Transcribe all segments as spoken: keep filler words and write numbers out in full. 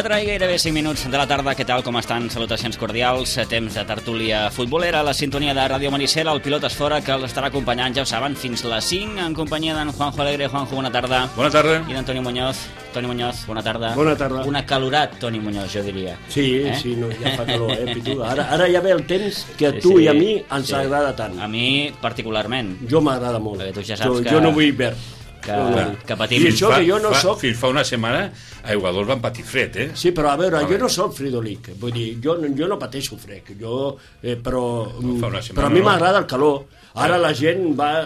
quatre i gairebé cinc minuts de la tarda. Què tal, com estan? Salutacions cordials. Temps de tertúlia futbolera, la sintonia de Ràdio Maricel, el pilot és fora, que els estarà acompanyant, ja ho saben, fins les cinc, en companyia d'en Juanjo Alegre. Juanjo, bona tarda. Bona tarda. I d'en Toni Muñoz. Toni Muñoz, bona tarda. Bona tarda. Un acalorat Toni Muñoz, jo diria. Sí, eh? sí, no, ja fa calor, eh, Pituda. Ara, ara ja ve el temps que a sí, tu sí, i a mi ens sí. agrada tant. A mi, particularment. Jo m'agrada molt. Perquè tu ja saps jo, que... Jo no vull verd. Que, no, que patim. I això que jo no fa, soc... Fins fa una setmana a Igualador van patir fred, eh? Sí, però a veure, a jo no soc fridolic. Vull dir, jo, jo no pateixo fred. Jo, eh, però, no, però a mi m'agrada el calor. Ara la gent va...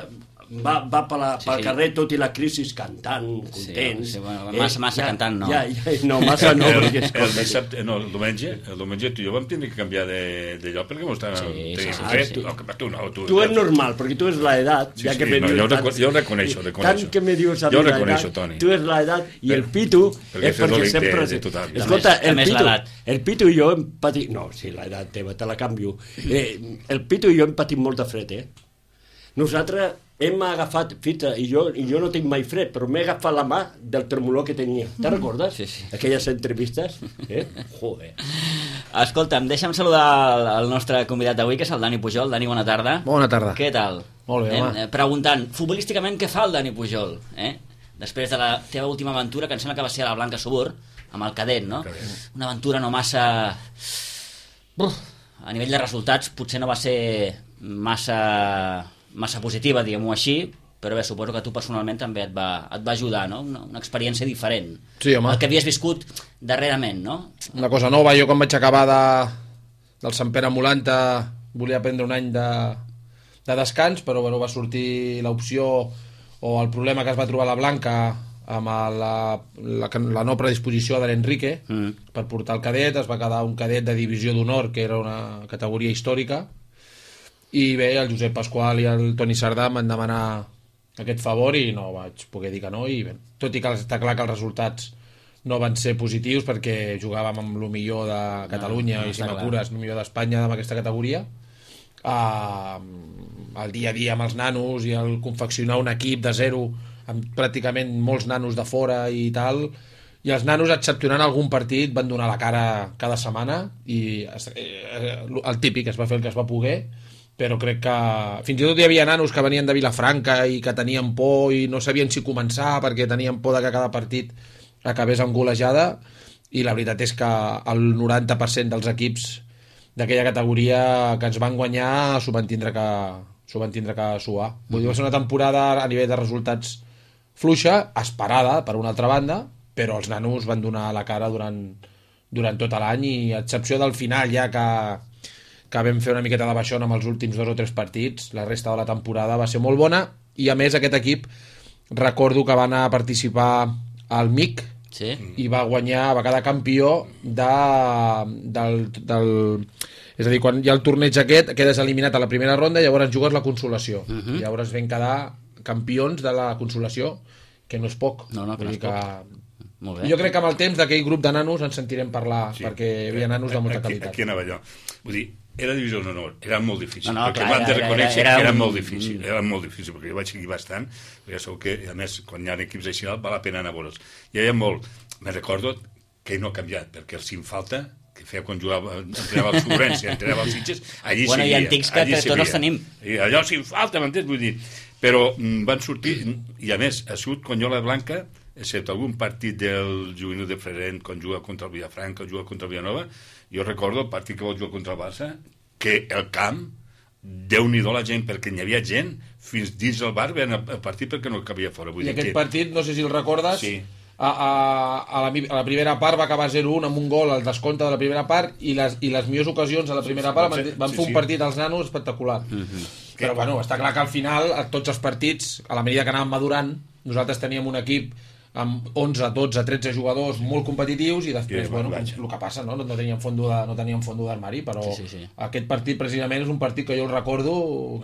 va, va pel, sí, pel sí. carrer tot i la crisi cantant, contents. Sí, sí, bueno, massa, massa eh, cantant, no. Ja, ja, no, massa no, el, perquè és el, dissabte, no, el diumenge, el diumenge tu i jo vam tenir que canviar de, de lloc perquè m'ho estàvem sí, sí, sí, fred. sí. No, tu no, tu, tu és normal, perquè tu és l'edat, sí, ja sí, que me no, dius... jo, reco jo reconeixo, reconeixo. Tant que me dius a jo mi reconeixo, l'edat, Toni. tu és l'edat i el Pitu perquè és perquè sempre... de total. Escolta, el més Pitu, l'edat. el Pitu i jo hem patit... No, sí, l'edat teva, te la canvio. Eh, el Pitu i jo hem patit molt de fred, eh? Nosaltres hem agafat, fita, i jo, i jo no tinc mai fred, però m'he agafat la mà del tremolor que tenia. Te'n recordes? Sí, sí. Aquelles entrevistes? Eh? Joder. Escolta'm, deixa'm saludar el, el nostre convidat d'avui, que és el Dani Pujol. Dani, bona tarda. Bona tarda. Què tal? Molt bé, eh? home. Preguntant, futbolísticament, què fa el Dani Pujol? Eh? Després de la teva última aventura, que em sembla que va ser a la Blanca Subur, amb el cadet, no? Una aventura no massa... Uf, a nivell de resultats, potser no va ser massa... massa positiva, diguem-ho així, però bé, suposo que tu personalment també et va, et va ajudar, no? Una, una experiència diferent. Sí, home. El que havies viscut darrerament, no? Una cosa nova. Jo quan vaig acabar de, del Sant Pere Molanta volia prendre un any de, de descans, però bueno, va sortir l'opció o el problema que es va trobar la Blanca amb la, la, la no predisposició de l'Enrique mm. per portar el cadet. Es va quedar un cadet de divisió d'honor, que era una categoria històrica, i bé, el Josep Pasqual i el Toni Sardà em van demanar aquest favor i no vaig poder dir que no, i bé, tot i que està clar que els resultats no van ser positius perquè jugàvem amb el millor de Catalunya no, no, i si m'apures, el millor d'Espanya amb aquesta categoria, uh, el dia a dia amb els nanos i el confeccionar un equip de zero amb pràcticament molts nanos de fora i tal, i els nanos, excepcionant algun partit, van donar la cara cada setmana i eh, el típic, es va fer el que es va poder, però crec que fins i tot hi havia nanos que venien de Vilafranca i que tenien por i no sabien si començar perquè tenien por de que cada partit acabés amb golejada, i la veritat és que el noranta per cent dels equips d'aquella categoria que ens van guanyar s'ho van tindre que, s'ho van tindre que suar. Vull dir, va ser una temporada a nivell de resultats fluixa, esperada per una altra banda, però els nanos van donar la cara durant, durant tot l'any, i a excepció del final ja que que vam fer una miqueta de baixona amb els últims dos o tres partits, la resta de la temporada va ser molt bona, i a més aquest equip recordo que va anar a participar al M I C sí. i va guanyar, va quedar campió de, del, del, és a dir, quan hi ha el torneig aquest quedes eliminat a la primera ronda i llavors jugues la consolació, uh -huh. i llavors vam quedar campions de la consolació, que no és poc, no, no, que no és que... poc. Molt bé. Jo crec que amb el temps d'aquell grup de nanos ens sentirem parlar, sí, perquè hi havia nanos de molta aquí, qualitat. Aquí anava jo. Vull dir, era divisió d'honor, era molt difícil, no, no, perquè clar, m'han de era, reconèixer era, era que era un... molt difícil, era molt difícil, perquè jo vaig seguir bastant, perquè segur que, a més, quan hi ha equips així, val la pena anar a veure'ls. Hi havia molt, me recordo que no ha canviat, perquè el Sim Falta, que feia quan jugava, entrenava als Sobrens i entrenava als Sitges, allí bueno, seguia. Bueno, i antics que, que tots els tenim. I allò Sim Falta, m'entens? Vull dir, però mm, van sortir, i a més, ha sigut Conyola Blanca, excepte algun partit del juvenil de Frerent quan juga contra el Vilafranca o juga contra el Villanova, jo recordo el partit que vol jugar contra el Barça, que el camp, Déu-n'hi-do la gent, perquè hi havia gent fins dins el bar veient el partit perquè no cabia fora. Vull I dir aquest que... partit, no sé si el recordes, sí. a, a, a, la, a la primera part va acabar zero un amb un gol al descompte de la primera part, i les, i les millors ocasions a la primera part van, van sí, fer un sí. partit als nanos espectacular. Uh-huh. Però, bueno, està clar que al final, a tots els partits, a la medida que anàvem madurant, nosaltres teníem un equip amb onze, dotze, tretze jugadors molt competitius i després, I, bueno, vaja. el que passa, no? No teníem fondo de, no teníem fondo d'armari, però Sí, sí, sí. aquest partit precisament és un partit que jo el recordo,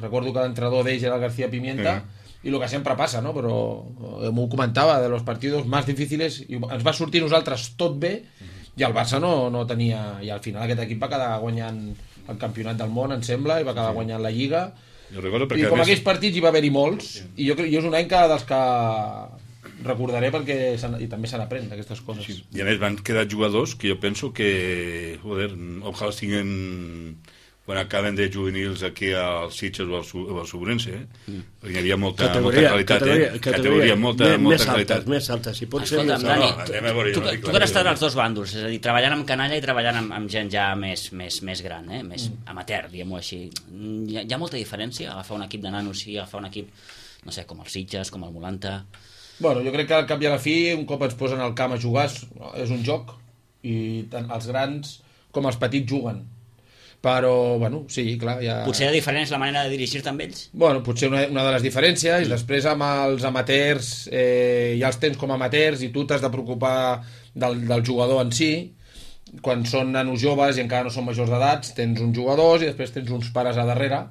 recordo que l'entrenador d'ells era el García Pimienta, Sí. i el que sempre passa, no? Però eh, m'ho comentava, de los partidos más difíciles, i ens va sortir nosaltres tot bé, i el Barça no, no tenia... I al final aquest equip va quedar guanyant el campionat del món, em sembla, i va quedar guanyant la Lliga. Jo recordo I perquè... com a més- aquells partits hi va haver-hi molts, i jo, crec- jo és un any que dels que recordaré perquè se n- i també se n'aprèn d'aquestes coses. Sí. I a més van quedar jugadors que jo penso que, joder, ojalà tinguin quan acaben de juvenils aquí als Sitges o al, Su- o al Sobrense, eh? Mm. Perquè hi havia molta, molta qualitat, categoria, eh? Categoria, molta, més, molta més qualitat. altes, més altes, si pot ser Escolta'm, més Dani, altes. No, anem a veure, tu, jo no tu, dic tu la que has estat veritat. als dos bàndols, és a dir, treballant amb canalla i treballant amb, amb gent ja més, més, més gran, eh? Més mm. amateur, diguem-ho així. Hi ha, hi ha molta diferència agafar un equip de nanos i agafar un equip, no sé, com el Sitges, com el Molanta... Bueno, jo crec que al cap i a la fi, un cop ens posen al camp a jugar, és- és un joc, i tant els grans com els petits juguen. Però, bueno, sí, clar, ja... Potser la diferent és la manera de dirigir-te amb ells? Bueno, potser una, una de les diferències, després amb els amateurs, eh, ja els tens com a amateurs i tu t'has de preocupar del, del jugador en si. Quan són nanos joves i encara no són majors d'edats, tens uns jugadors i després tens uns pares a darrere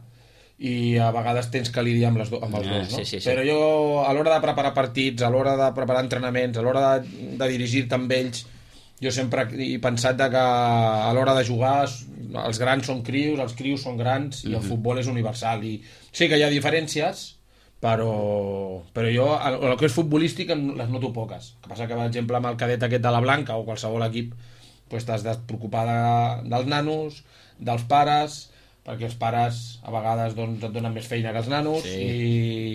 i a vegades tens que lidiar amb, les do, amb els Ah, dos, no? sí, sí, sí. Però jo, a l'hora de preparar partits, a l'hora de preparar entrenaments, a l'hora de, de dirigir-te amb ells, jo sempre he pensat de que a l'hora de jugar els grans són crios, els crios són grans i el futbol és universal i sí que hi ha diferències però, però jo el, el que és futbolístic en- les noto poques. El que passa que per exemple amb el cadet aquest de la Blanca o qualsevol equip pues, t'has de preocupar de, dels nanos, dels pares, perquè els pares a vegades doncs, et donen més feina que els nanos Sí.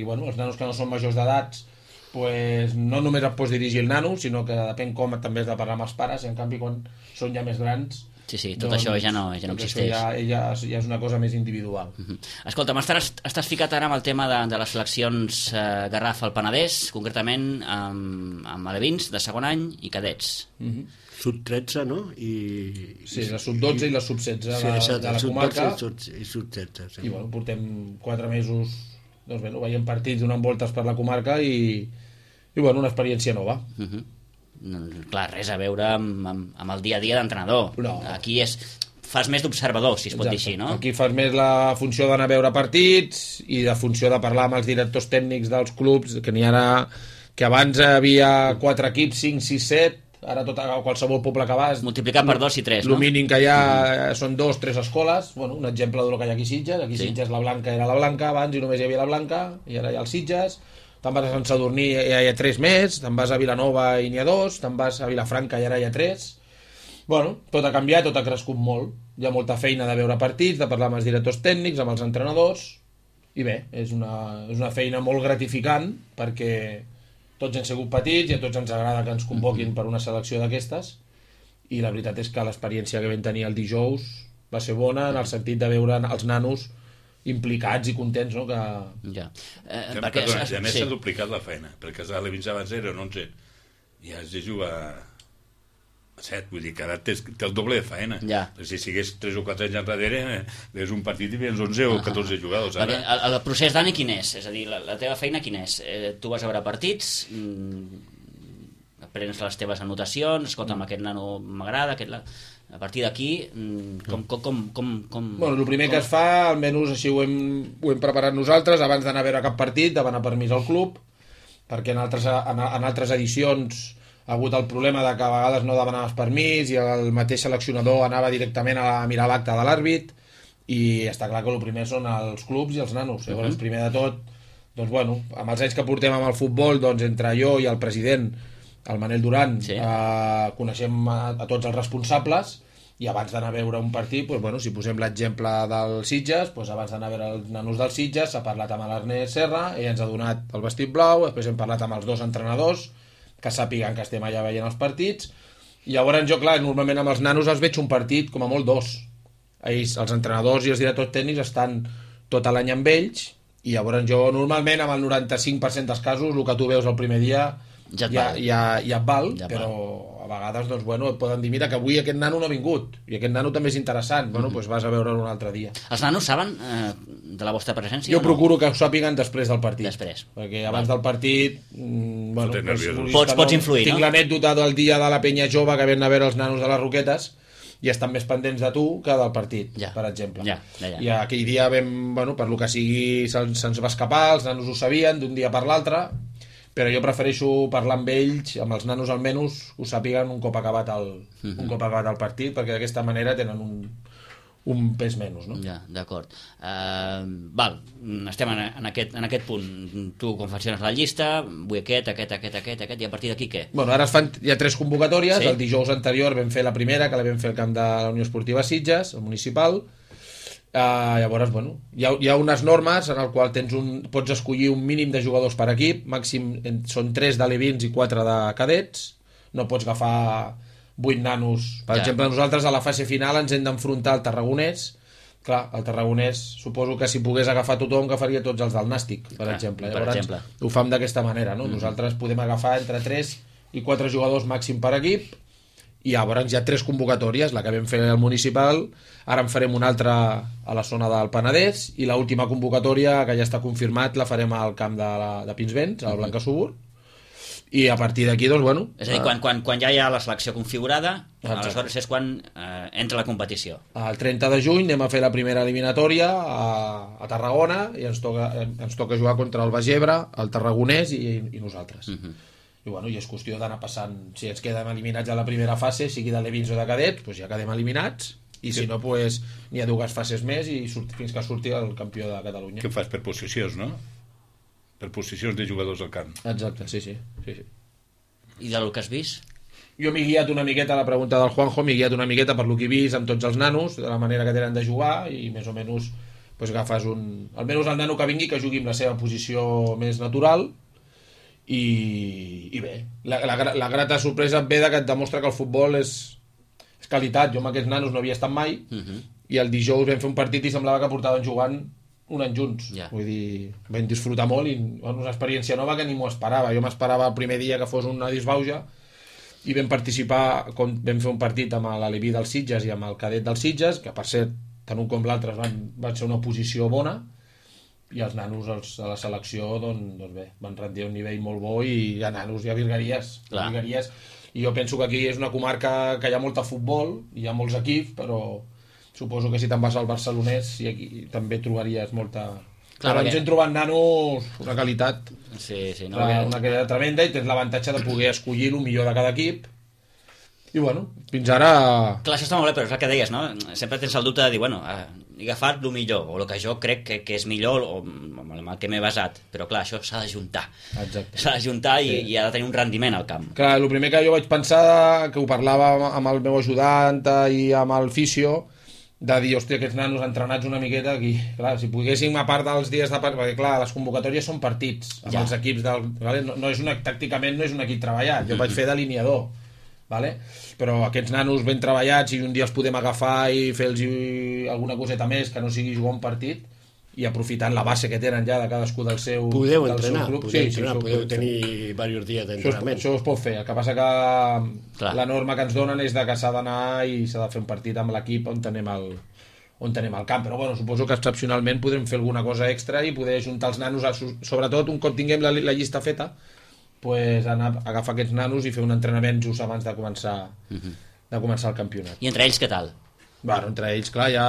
i bueno, els nanos que no són majors d'edats pues, no només et pots dirigir el nano, sinó que depèn com també has de parlar amb els pares, i en canvi quan són ja més grans Sí, sí, tot això ja no, ja no doncs existeix. això ja, ja, ja és una cosa més individual. Mhm. Escolta'm, estàs, estàs ficat ara amb el tema de, de les seleccions eh, Garraf al Penedès, concretament amb, amb alevins de segon any i cadets. Sub tretze, no? I, Sí, la sub dotze i la sub setze sí, de, exacte, de la sub comarca, dotze i sub tretze. Sí. i bueno, portem quatre mesos doncs, bueno, veient partits, donant voltes per la comarca i, i bueno, una experiència nova. Uh -huh. no, clar, res a veure amb, amb, amb el dia a dia d'entrenador. No. Aquí és, fas més d'observador, si es pot dir així, no? Aquí fas més la funció d'anar a veure partits i de funció de parlar amb els directors tècnics dels clubs, que n'hi ha ara, que abans havia quatre equips, cinc, sis, set, ara tot, a qualsevol poble que vas Multiplicar per dos i tres, el no? mínim que hi ha són dos, tres escoles. Bueno, un exemple del que hi ha aquí a Sitges. Aquí a Sí. Sitges la Blanca era la Blanca abans i només hi havia la Blanca, i ara hi ha els Sitges. Te'n vas a Sant Sadurní i ja hi ha tres més, te'n vas a Vilanova i n'hi ha dos, te'n vas a Vilafranca i ara hi ha tres. Bueno, tot ha canviat, tot ha crescut molt. Hi ha molta feina de veure partits, de parlar amb els directors tècnics, amb els entrenadors, i bé, és una, és una feina molt gratificant perquè tots hem sigut petits i a tots ens agrada que ens convoquin per una selecció d'aquestes, i la veritat és que l'experiència que vam tenir el dijous va ser bona en el sentit de veure els nanos implicats i contents, no? Que... Ja. Eh, Que, perquè, perdona, es- i a més sí. s'ha duplicat la feina, perquè els alevins abans eren onze i has de jugar a set, vull dir que ara té, té el doble de feina. Ja. Si sigués tres o quatre anys enrere, eh, és un partit i vens onze o catorze jugadors. Perquè Ara, el, el procés, Dani, quin és? És a dir, la, la teva feina quin és? Eh, tu vas a veure partits, mm, prens les teves anotacions, escolta, amb aquest nano m'agrada, aquest... La... A partir d'aquí, mm, com, com, com, com, com... Bueno, el primer que es fa, almenys així ho hem, ho hem preparat nosaltres, abans d'anar a veure cap partit, demanar permís al club, perquè en altres, en, en altres edicions ha hagut el problema de que a vegades no demanaves permís i el mateix seleccionador anava directament a mirar l'acte de l'àrbit, i està clar que el primer són els clubs i els nanos. Llavors, Mhm. primer de tot, doncs bueno, amb els anys que portem amb el futbol, doncs entre jo i el president, el Manel Duran, Sí. eh, coneixem a, a tots els responsables, i abans d'anar a veure un partit, doncs, bueno, si posem l'exemple dels Sitges, doncs abans d'anar a veure els nanos dels Sitges s'ha parlat amb l'Ernest Serra, ell ens ha donat el vestit blau, després hem parlat amb els dos entrenadors que sàpiguen que estem allà veient els partits, i llavors jo, clar, normalment amb els nanos els veig un partit com a molt dos. Ells, els entrenadors i els directors tècnics estan tot l'any amb ells, i llavors jo normalment amb el noranta-cinc per cent dels casos el que tu veus el primer dia Ja et ja, val. ja, ja et val, Ja et però a vegades doncs, bueno, et poden dir mira que avui aquest nano no ha vingut i aquest nano també és interessant, bueno, doncs vas a veure'l un altre dia. Els nanos saben eh, de la vostra presència Jo o no? procuro que ho sàpiguen després del partit. Després. Perquè abans del partit... Mm, bueno, Fotent doncs, nerviosos. vulguis Pots- que pots influir, tinc no? l'anècdota del dia de la penya jove que ven a veure els nanos de les Roquetes i estan més pendents de tu que del partit, Ja. per exemple. Ja, ja, ja. I aquell dia vam, bueno, per lo que sigui, se'ns se va escapar, els nanos ho sabien d'un dia per l'altre, però jo prefereixo parlar amb ells, amb els nanos almenys, ho sàpiguen un cop acabat el, Mhm. un cop acabat el partit, perquè d'aquesta manera tenen un, un pes menys, no? Ja, d'acord. Uh, val, estem en, en, aquest, en aquest punt. Tu confecciones la llista, vull aquest, aquest, aquest, aquest, aquest, i a partir d'aquí què? Bueno, ara es fan, hi ha tres convocatòries. Sí. El dijous anterior vam fer la primera, que la vam fer al camp de la Unió Esportiva Sitges, el municipal. Uh, llavors, bueno, hi ha, hi ha unes normes en el qual tens un, pots escollir un mínim de jugadors per equip, màxim en, són tres d'alevins i quatre de cadets. No pots agafar vuit nanos. Per Ja. exemple, nosaltres a la fase final ens hem d'enfrontar al Tarragonès. Clar, el Tarragonès suposo que si pogués agafar tothom agafaria tots els del Nàstic, per Clar, exemple. per Llavors exemple. ho fem d'aquesta manera, no? Mm. Nosaltres podem agafar entre tres i quatre jugadors màxim per equip i llavors hi ha tres convocatòries, la que vam fer al municipal, ara en farem una altra a la zona del Penedès i l'última convocatòria, que ja està confirmat, la farem al camp de, la, de Pinsbens, al Blanca Subur, i a partir d'aquí, doncs, bueno... És a dir, quan, quan, quan ja hi ha la selecció configurada, Exacte. aleshores és quan eh, entra la competició. El trenta de juny anem a fer la primera eliminatòria a, a Tarragona i ens toca, ens toca jugar contra el Bagebre, el Tarragonès i, i nosaltres. Mhm. I, bueno, i és qüestió d'anar passant, si ens quedem eliminats a la primera fase, sigui de l'Evins o de cadets, doncs ja quedem eliminats, i si no, pues, n'hi ha dues fases més i surt, fins que surti el campió de Catalunya. Què fas per posicions, no? Per posicions de jugadors al camp. Exacte, sí, sí. sí, sí. I del que has vist? Jo m'he guiat una miqueta a la pregunta del Juanjo, m'he guiat una miqueta per lo que he vist amb tots els nanos, de la manera que tenen de jugar, i més o menys pues, agafes un... Almenys el nano que vingui que jugui amb la seva posició més natural, i, i bé, la, la, la grata sorpresa et ve de que et demostra que el futbol és, és qualitat. Jo amb aquests nanos no havia estat mai, Uh -huh. i el dijous vam fer un partit i semblava que portaven jugant un any junts. Ja. Vull dir, vam disfrutar molt i bueno, una experiència nova que ni m'ho esperava. Jo m'esperava el primer dia que fos una disbauja i vam participar, com vam fer un partit amb l'Aleví dels Sitges i amb el cadet dels Sitges, que per cert, tant un com l'altre van, van ser una posició bona, i els nanos els, a la selecció doncs, doncs bé, van rendir un nivell molt bo i hi ha nanos, hi ha virgueries, hi ha Clar. virgueries. I jo penso que aquí és una comarca que hi ha molta futbol, hi ha molts equips, però suposo que si te'n vas al Barcelonès i aquí també trobaries molta... Clar, Però perquè- ens hem trobat nanos una qualitat, Sí, sí. No, una, una qualitat tremenda, i tens l'avantatge de poder escollir el millor de cada equip. I bueno, fins ara... Clar, això està molt bé, però és el que deies, no? Sempre tens el dubte de dir, bueno, eh, he agafat el millor, o el que jo crec que, que és millor, o amb el que m'he basat. Però clar, això s'ha de juntar. Exacte. S'ha de juntar i, Sí. i ha de tenir un rendiment al camp. Clar, el primer que jo vaig pensar, que ho parlava amb- amb el meu ajudant i amb el fisio, de dir, hòstia, aquests nanos entrenats una miqueta aquí, clar, si poguéssim a part dels dies de partit, perquè clar, les convocatòries són partits amb Ja. els equips del, vale? no, no és una, tàcticament no és un equip treballat, jo vaig fer d'alineador, vale? Però aquests nanos ben treballats i un dia els podem agafar i fer-los alguna coseta més que no sigui jugar un partit i aprofitant la base que tenen ja de cadascú del seu, Podeu del seu entrenar, club. podeu, Sí, sí, entrenar, això ho podeu podem fer. tenir diversos dies Això es, d'entrenament. això es pot fer, el que passa que Clar. la norma que ens donen és de que s'ha d'anar i s'ha de fer un partit amb l'equip on tenem el on tenem el camp, però bueno, suposo que excepcionalment podrem fer alguna cosa extra i poder juntar els nanos, a, sobretot un cop tinguem la, la llista feta, pues anar, agafar aquests nanos i fer un entrenament just abans de començar de començar el campionat. I entre ells què tal? Bueno, entre ells, clar, hi ha,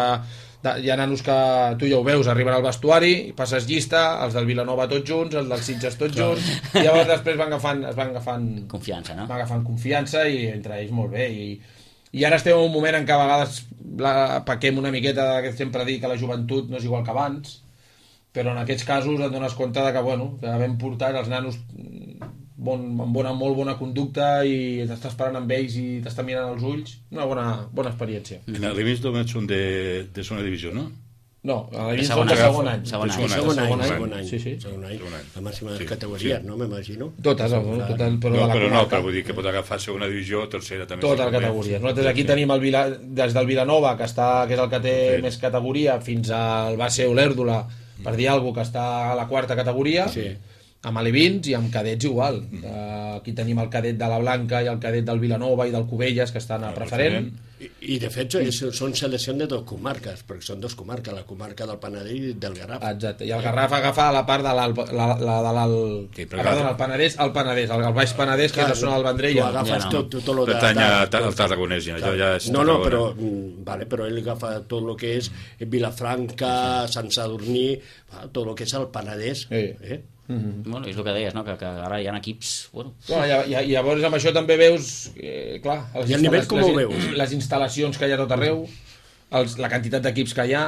hi ha nanos que tu ja ho veus, arriben al vestuari, passes llista, els del Vilanova tots junts, els dels Sitges tots junts, i llavors després van agafant, es van agafant, Confiança, no? van agafant confiança i entre ells molt bé. I, i ara estem en un moment en què a vegades la, paquem una miqueta, que sempre dic que la joventut no és igual que abans, però en aquests casos et dones compte de que, bueno, que vam portar els nanos bon, amb bona, molt bona conducta i t'estàs parant amb ells i t'està mirant als ulls, una bona, bona experiència. En l'Alevis només són de, de segona divisió, no? No, a la De Lliga segon són de any. segon any. Segon any. Segon Segon any, segon any. segon any. Sí, sí. Segon any. Segon any. La màxima Sí, categoria, sí. no? M'imagino. Totes, no? Totes, però No, de la però no, comarca. però vull dir que pot agafar segona divisió, tercera també. Totes sí, les categories. Nosaltres aquí Sí. tenim el Vila, des del Vilanova, que, està, que és el que té Sí. més categoria, fins al Base Olèrdola, per dir alguna cosa, que està a la quarta categoria. Sí. amb alevins i amb cadets igual. Uh, aquí tenim el cadet de la Blanca i el cadet del Vilanova i del Cubelles, que estan a preferent. I, i de fet és, són selecció de dues comarques, perquè són dues comarques, la comarca del Penedès i del Garraf. Exacte, i el Garraf agafa la part de l'alt, la, la de l'alt... Sí, ah, perdona, el Penedès, el Penedès, el, el Baix Penedès, que és la zona del Vendrell. Tu agafes ja no. tot, tot, tot lo de... Pertany al Tarragonès, ja, ja és no, no, Tarragona. però, mm, vale, però ell agafa tot el que és Vilafranca, Sant Sadurní, tot el que és el Penedès. Sí. Eh? Mm-hmm. Bueno, és el que deies, no? que, que ara hi ha equips... Bueno. No, i, i, i llavors amb això també veus, eh, clar, les I el nivell com ho les, veus? les instal·lacions que hi ha a tot arreu, els, la quantitat d'equips que hi ha,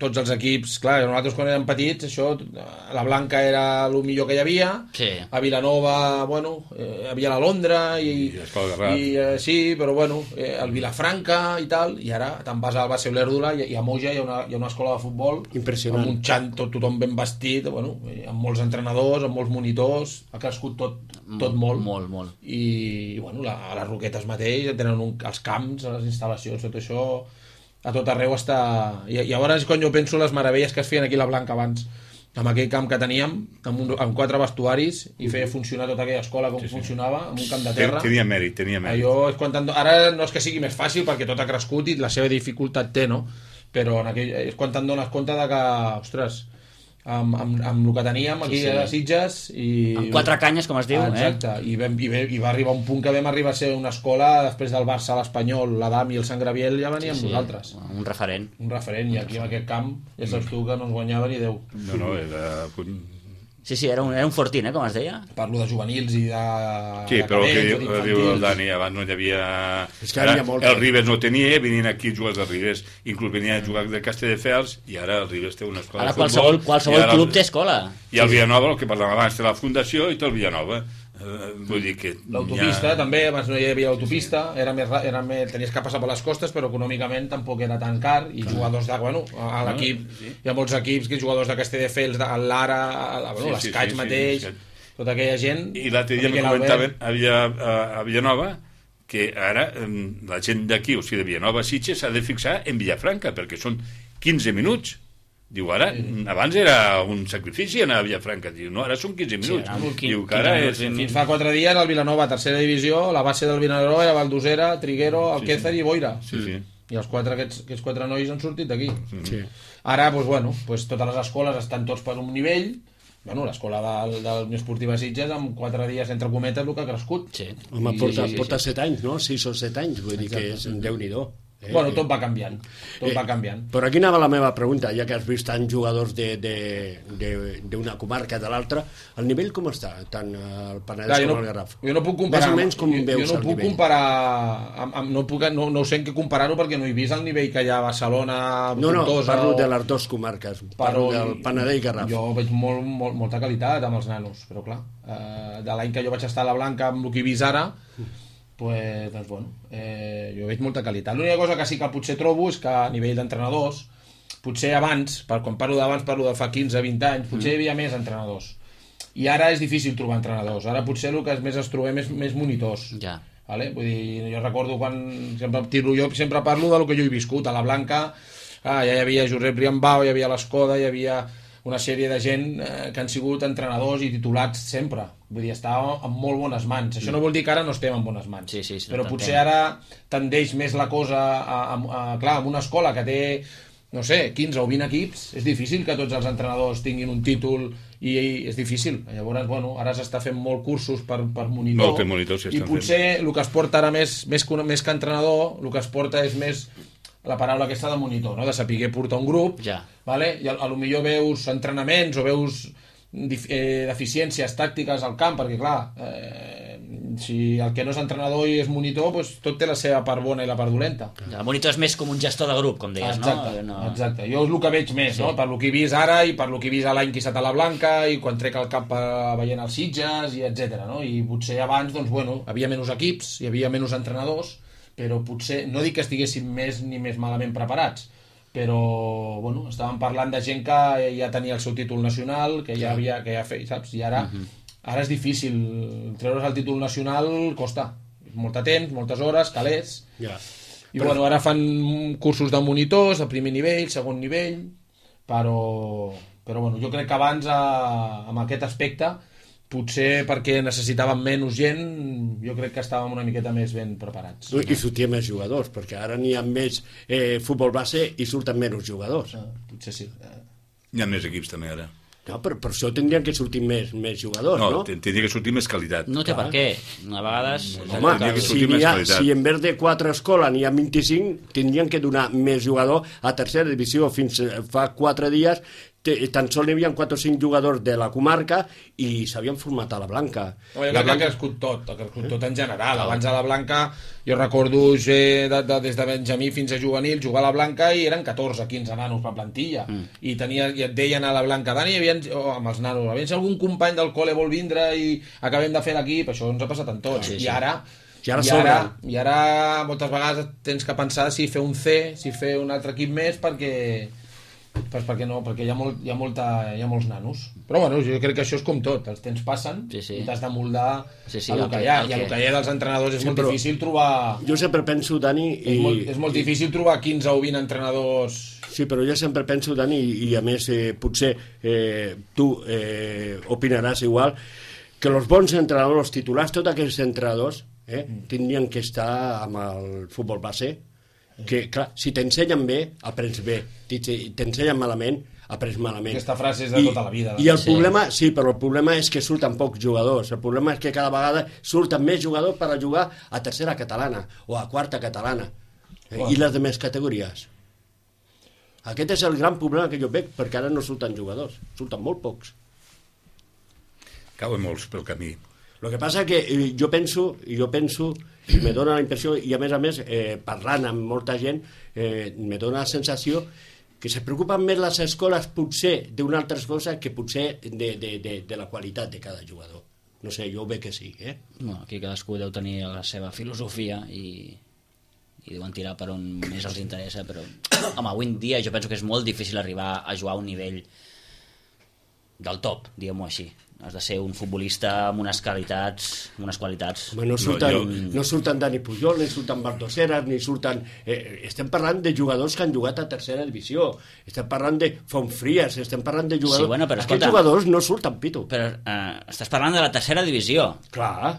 tots els equips, clar, nosaltres quan érem petits, això, la Blanca era el millor que hi havia, Sí. a Vilanova, bueno, eh, hi havia la Londra, i, I l'Escola Garraf. i eh, sí, però bueno, eh, el Vilafranca i tal, i ara te'n vas al Base Olèrdula i, i a Moja hi ha, una, hi ha una escola de futbol Impressionant. amb un xant, tot, tothom ben vestit, bueno, eh, amb molts entrenadors, amb molts monitors, ha crescut tot, tot molt. Molt, molt. I, i bueno, la, a les Roquetes mateix tenen un, els camps, les instal·lacions, tot això a tot arreu està... I, i llavors quan jo penso les meravelles que es feien aquí a la Blanca abans, amb aquell camp que teníem, amb, un, amb quatre vestuaris, i feia funcionar tota aquella escola com sí, sí. funcionava, amb un camp de terra. Tenia mèrit, tenia mèrit. Allò és quan tant... Ara no és que sigui més fàcil perquè tot ha crescut i la seva dificultat té, no? Però en aquell... és quan te'n dones compte de que, ostres, amb, amb, amb el que teníem aquí sí, sí. a Sitges i... Amb quatre canyes, com es diu. Ah, exacte, eh? I, vam, i, ve, i va arribar un punt que vam arribar a ser una escola, després del Barça, l'Espanyol, l'Adam i el Sant Graviel ja veníem sí, sí. nosaltres. Un referent. Un referent, i aquí en aquest camp ja saps tu que no ens guanyava ni Déu. No, no, era... Sí, sí, era un, era un fortín, eh, com es deia. Parlo de juvenils i de... Sí, de però el que cadets, diu, diu el Dani, abans no hi havia... És que hi havia molt. El Ribes no tenia, venien aquí jugadors del Ribes, inclús venien a jugar de Castelldefels, i ara el Ribes té una escola Ara de futbol. qualsevol, qualsevol ara, club té escola. I el Villanova, el que parlàvem abans, té la fundació i té el Villanova. Uh, vull dir que... L'autopista ha... també, abans no hi havia autopista, era més, ra- era més, tenies que passar per les costes, però econòmicament tampoc era tan car, i jugadors de, bueno, a l'equip, sí. hi ha molts equips, que jugadors de Castelldefels, de l'Ara, bueno, Sí, sí, l'Escaig sí, sí, mateix, sí. tota aquella gent... I l'altre dia me Miquel comentaven Albert. a, Villa, a, a Villanova que ara em, la gent d'aquí, o sigui de Villanova a Sitges, s'ha de fixar en Villafranca, perquè són quinze minuts. Diu, ara, sí. abans era un sacrifici anar a Villafranca. Diu, no, ara són quinze minuts. Sí, ara, Diu que ara és... Fins fa quatre dies el Vilanova, tercera divisió, la base del Vilanova era Valdosera, Triguero, Alquézar sí, sí. i Boira. Sí, sí. I els quatre, aquests, aquests quatre nois han sortit d'aquí. Sí. Ara, doncs, bueno, doncs, totes les escoles estan tots per un nivell. Bueno, l'escola del, del Unió Esportiva Sitges, amb quatre dies, entre cometes, el que ha crescut. Sí. Home, Sí, porta, sí, sí, porta sí. set anys, no? Sis o set anys, vull dir que és Déu-n'hi-do. Eh? Bueno, tot va canviant. Tot Eh, va canviant. Però aquí anava la meva pregunta, ja que has vist tants jugadors d'una de, de, de, de comarca de l'altra, el nivell com està, tant el Penedès Clar, jo com no, el Garraf? jo no puc comparar... Més o menys com jo, veus jo no el puc nivell? comparar... Amb, amb, no, puc, no, no sé en què comparar-ho perquè no he vist el nivell que hi ha a Barcelona, No, no, Tortosa... parlo o- de les dues comarques, parlo però del Penedès i Garraf. jo veig molt, molt, molta qualitat amb els nanos, però clar, eh, de l'any que jo vaig estar a la Blanca amb el que he vist ara, pues, doncs bueno, eh, jo veig molta qualitat. L'única cosa que sí que potser trobo és que a nivell d'entrenadors, potser abans, per, quan parlo d'abans parlo de fa quinze vint anys, potser hi havia més entrenadors. I ara és difícil trobar entrenadors. Ara potser el que és més es trobem és més monitors. Ja. Vale? Vull dir, jo recordo quan sempre, tiro, jo sempre parlo del que jo he viscut a la Blanca, ah, ja hi havia Josep Riambau, hi havia l'Escoda, hi havia una sèrie de gent eh, que han sigut entrenadors i titulats sempre, vull dir, estava en molt bones mans. Això no vol dir que ara no estem en bones mans, Sí, sí, sí, però t'entenc. potser ara tendeix més la cosa a, a, a, clar, en una escola que té no sé, quinze o vint equips, és difícil que tots els entrenadors tinguin un títol i, i és difícil. Llavors, bueno, ara s'està fent molt cursos per, per monitor. Molts monitors I s'estan potser el que es porta ara més, més, que, més que entrenador, el que es porta és més la paraula aquesta de monitor, no? De saber portar un grup, Ja. vale? I a, a lo millor veus entrenaments o veus dif, eh, deficiències tàctiques al camp, perquè clar, eh, si el que no és entrenador i és monitor, doncs tot té la seva part bona i la part dolenta. El monitor és més com un gestor de grup, com deies, Exacte, no? no? exacte. Jo és el que veig més, sí. no? Per lo que he vist ara i per lo que he vist l'any que he estat a la Blanca i quan trec el cap eh, veient els Sitges i etcètera. No? I potser abans, doncs, bueno, havia menys equips, hi havia menys entrenadors, però potser, no dic que estiguessin més ni més malament preparats, però, bueno, estàvem parlant de gent que ja tenia el seu títol nacional, que ja havia, que ja feia, saps? I ara, uh-huh. ara és difícil, treure's el títol nacional costa, molt de temps, moltes hores, calés, Ja. i però... bueno, ara fan cursos de monitors, de primer nivell, segon nivell, però, però bueno, jo crec que abans, a, amb aquest aspecte, potser perquè necessitaven menys gent, jo crec que estàvem una miqueta més ben preparats. I sortien més jugadors, perquè ara n'hi ha més eh, futbol base i surten menys jugadors. Ah, potser sí. Hi ha més equips també ara. No, per, per això tindrien que sortir més, més jugadors, No, no? ten- tindria que sortir més qualitat. No té Clar. per què. A vegades... Home, tindria que si, sortir més n'hi ha, qualitat. si en vez de quatre escoles n'hi ha vint-i-cinc, tindrien que donar més jugador a tercera divisió. Fins fa quatre dies te, tan sols n'hi havia quatre o cinc jugadors de la comarca i s'havien format a la Blanca. No, jo crec que ha crescut tot, ha crescut tot en general. Abans a la Blanca, jo recordo eh, de, de, des de Benjamí fins a juvenil, jugar a la Blanca i eren catorze quinze nanos per plantilla. Mm. I, tenia, i et deien a la Blanca, Dani, aviam, oh, amb els nanos, aviam si algun company del col·le vol vindre i acabem de fer l'equip, això ens ha passat en tots. Sí, sí. I ara... I ara I ara, sobren. I ara moltes vegades tens que pensar si fer un C, si fer un altre equip més, perquè pues perquè no, perquè hi ha, molt, hi, ha molta, hi ha molts nanos. Però bueno, jo crec que això és com tot, els temps passen Sí, sí. i t'has de moldar Sí, sí, a el lo que que- hi ha. el I a lo que- que hi ha dels entrenadors és Sí, molt però- difícil trobar... Jo sempre penso, Dani... I... És molt, és molt difícil trobar quinze o vint entrenadors... Sí, però jo sempre penso, Dani, i, i a més eh, potser eh, tu eh, opinaràs igual, que els bons entrenadors, els titulars, tots aquests entrenadors, eh, tindrien que estar amb el futbol base, que, clar, si t'ensenyen bé, aprens bé. Si t'ensenyen malament, aprens malament. Aquesta frase és de tota la vida. I el Sí. problema, sí, però el problema és que surten pocs jugadors. El problema és que cada vegada surten més jugadors per a jugar a tercera catalana o a quarta catalana. Eh, I les demés categories. Aquest és el gran problema que jo veig, perquè ara no surten jugadors, surten molt pocs. Cauen molts pel camí. El que passa que eh, jo penso, jo penso, i me dóna la impressió, i a més a més, eh, parlant amb molta gent, eh, me dóna la sensació que se preocupen més les escoles potser d'una altra cosa que potser de, de, de, de la qualitat de cada jugador. No sé, jo ho veig que sí, eh? Bueno, aquí cadascú deu tenir la seva filosofia i, i deuen tirar per on més els interessa, però home, avui en dia jo penso que és molt difícil arribar a jugar a un nivell del top, diguem-ho així. Has de ser un futbolista amb unes qualitats, amb unes qualitats. Home, no surten, No, no, jo- no surten Dani Pujol, ni surten Baldoseras, ni surten... Eh, estem parlant de jugadors que han jugat a tercera divisió, estem parlant de Fontfries, estem parlant de jugadors... Sí, bueno, però Aquests escolta- jugadors no surten, Pito. Però eh, estàs parlant de la tercera divisió. Clar,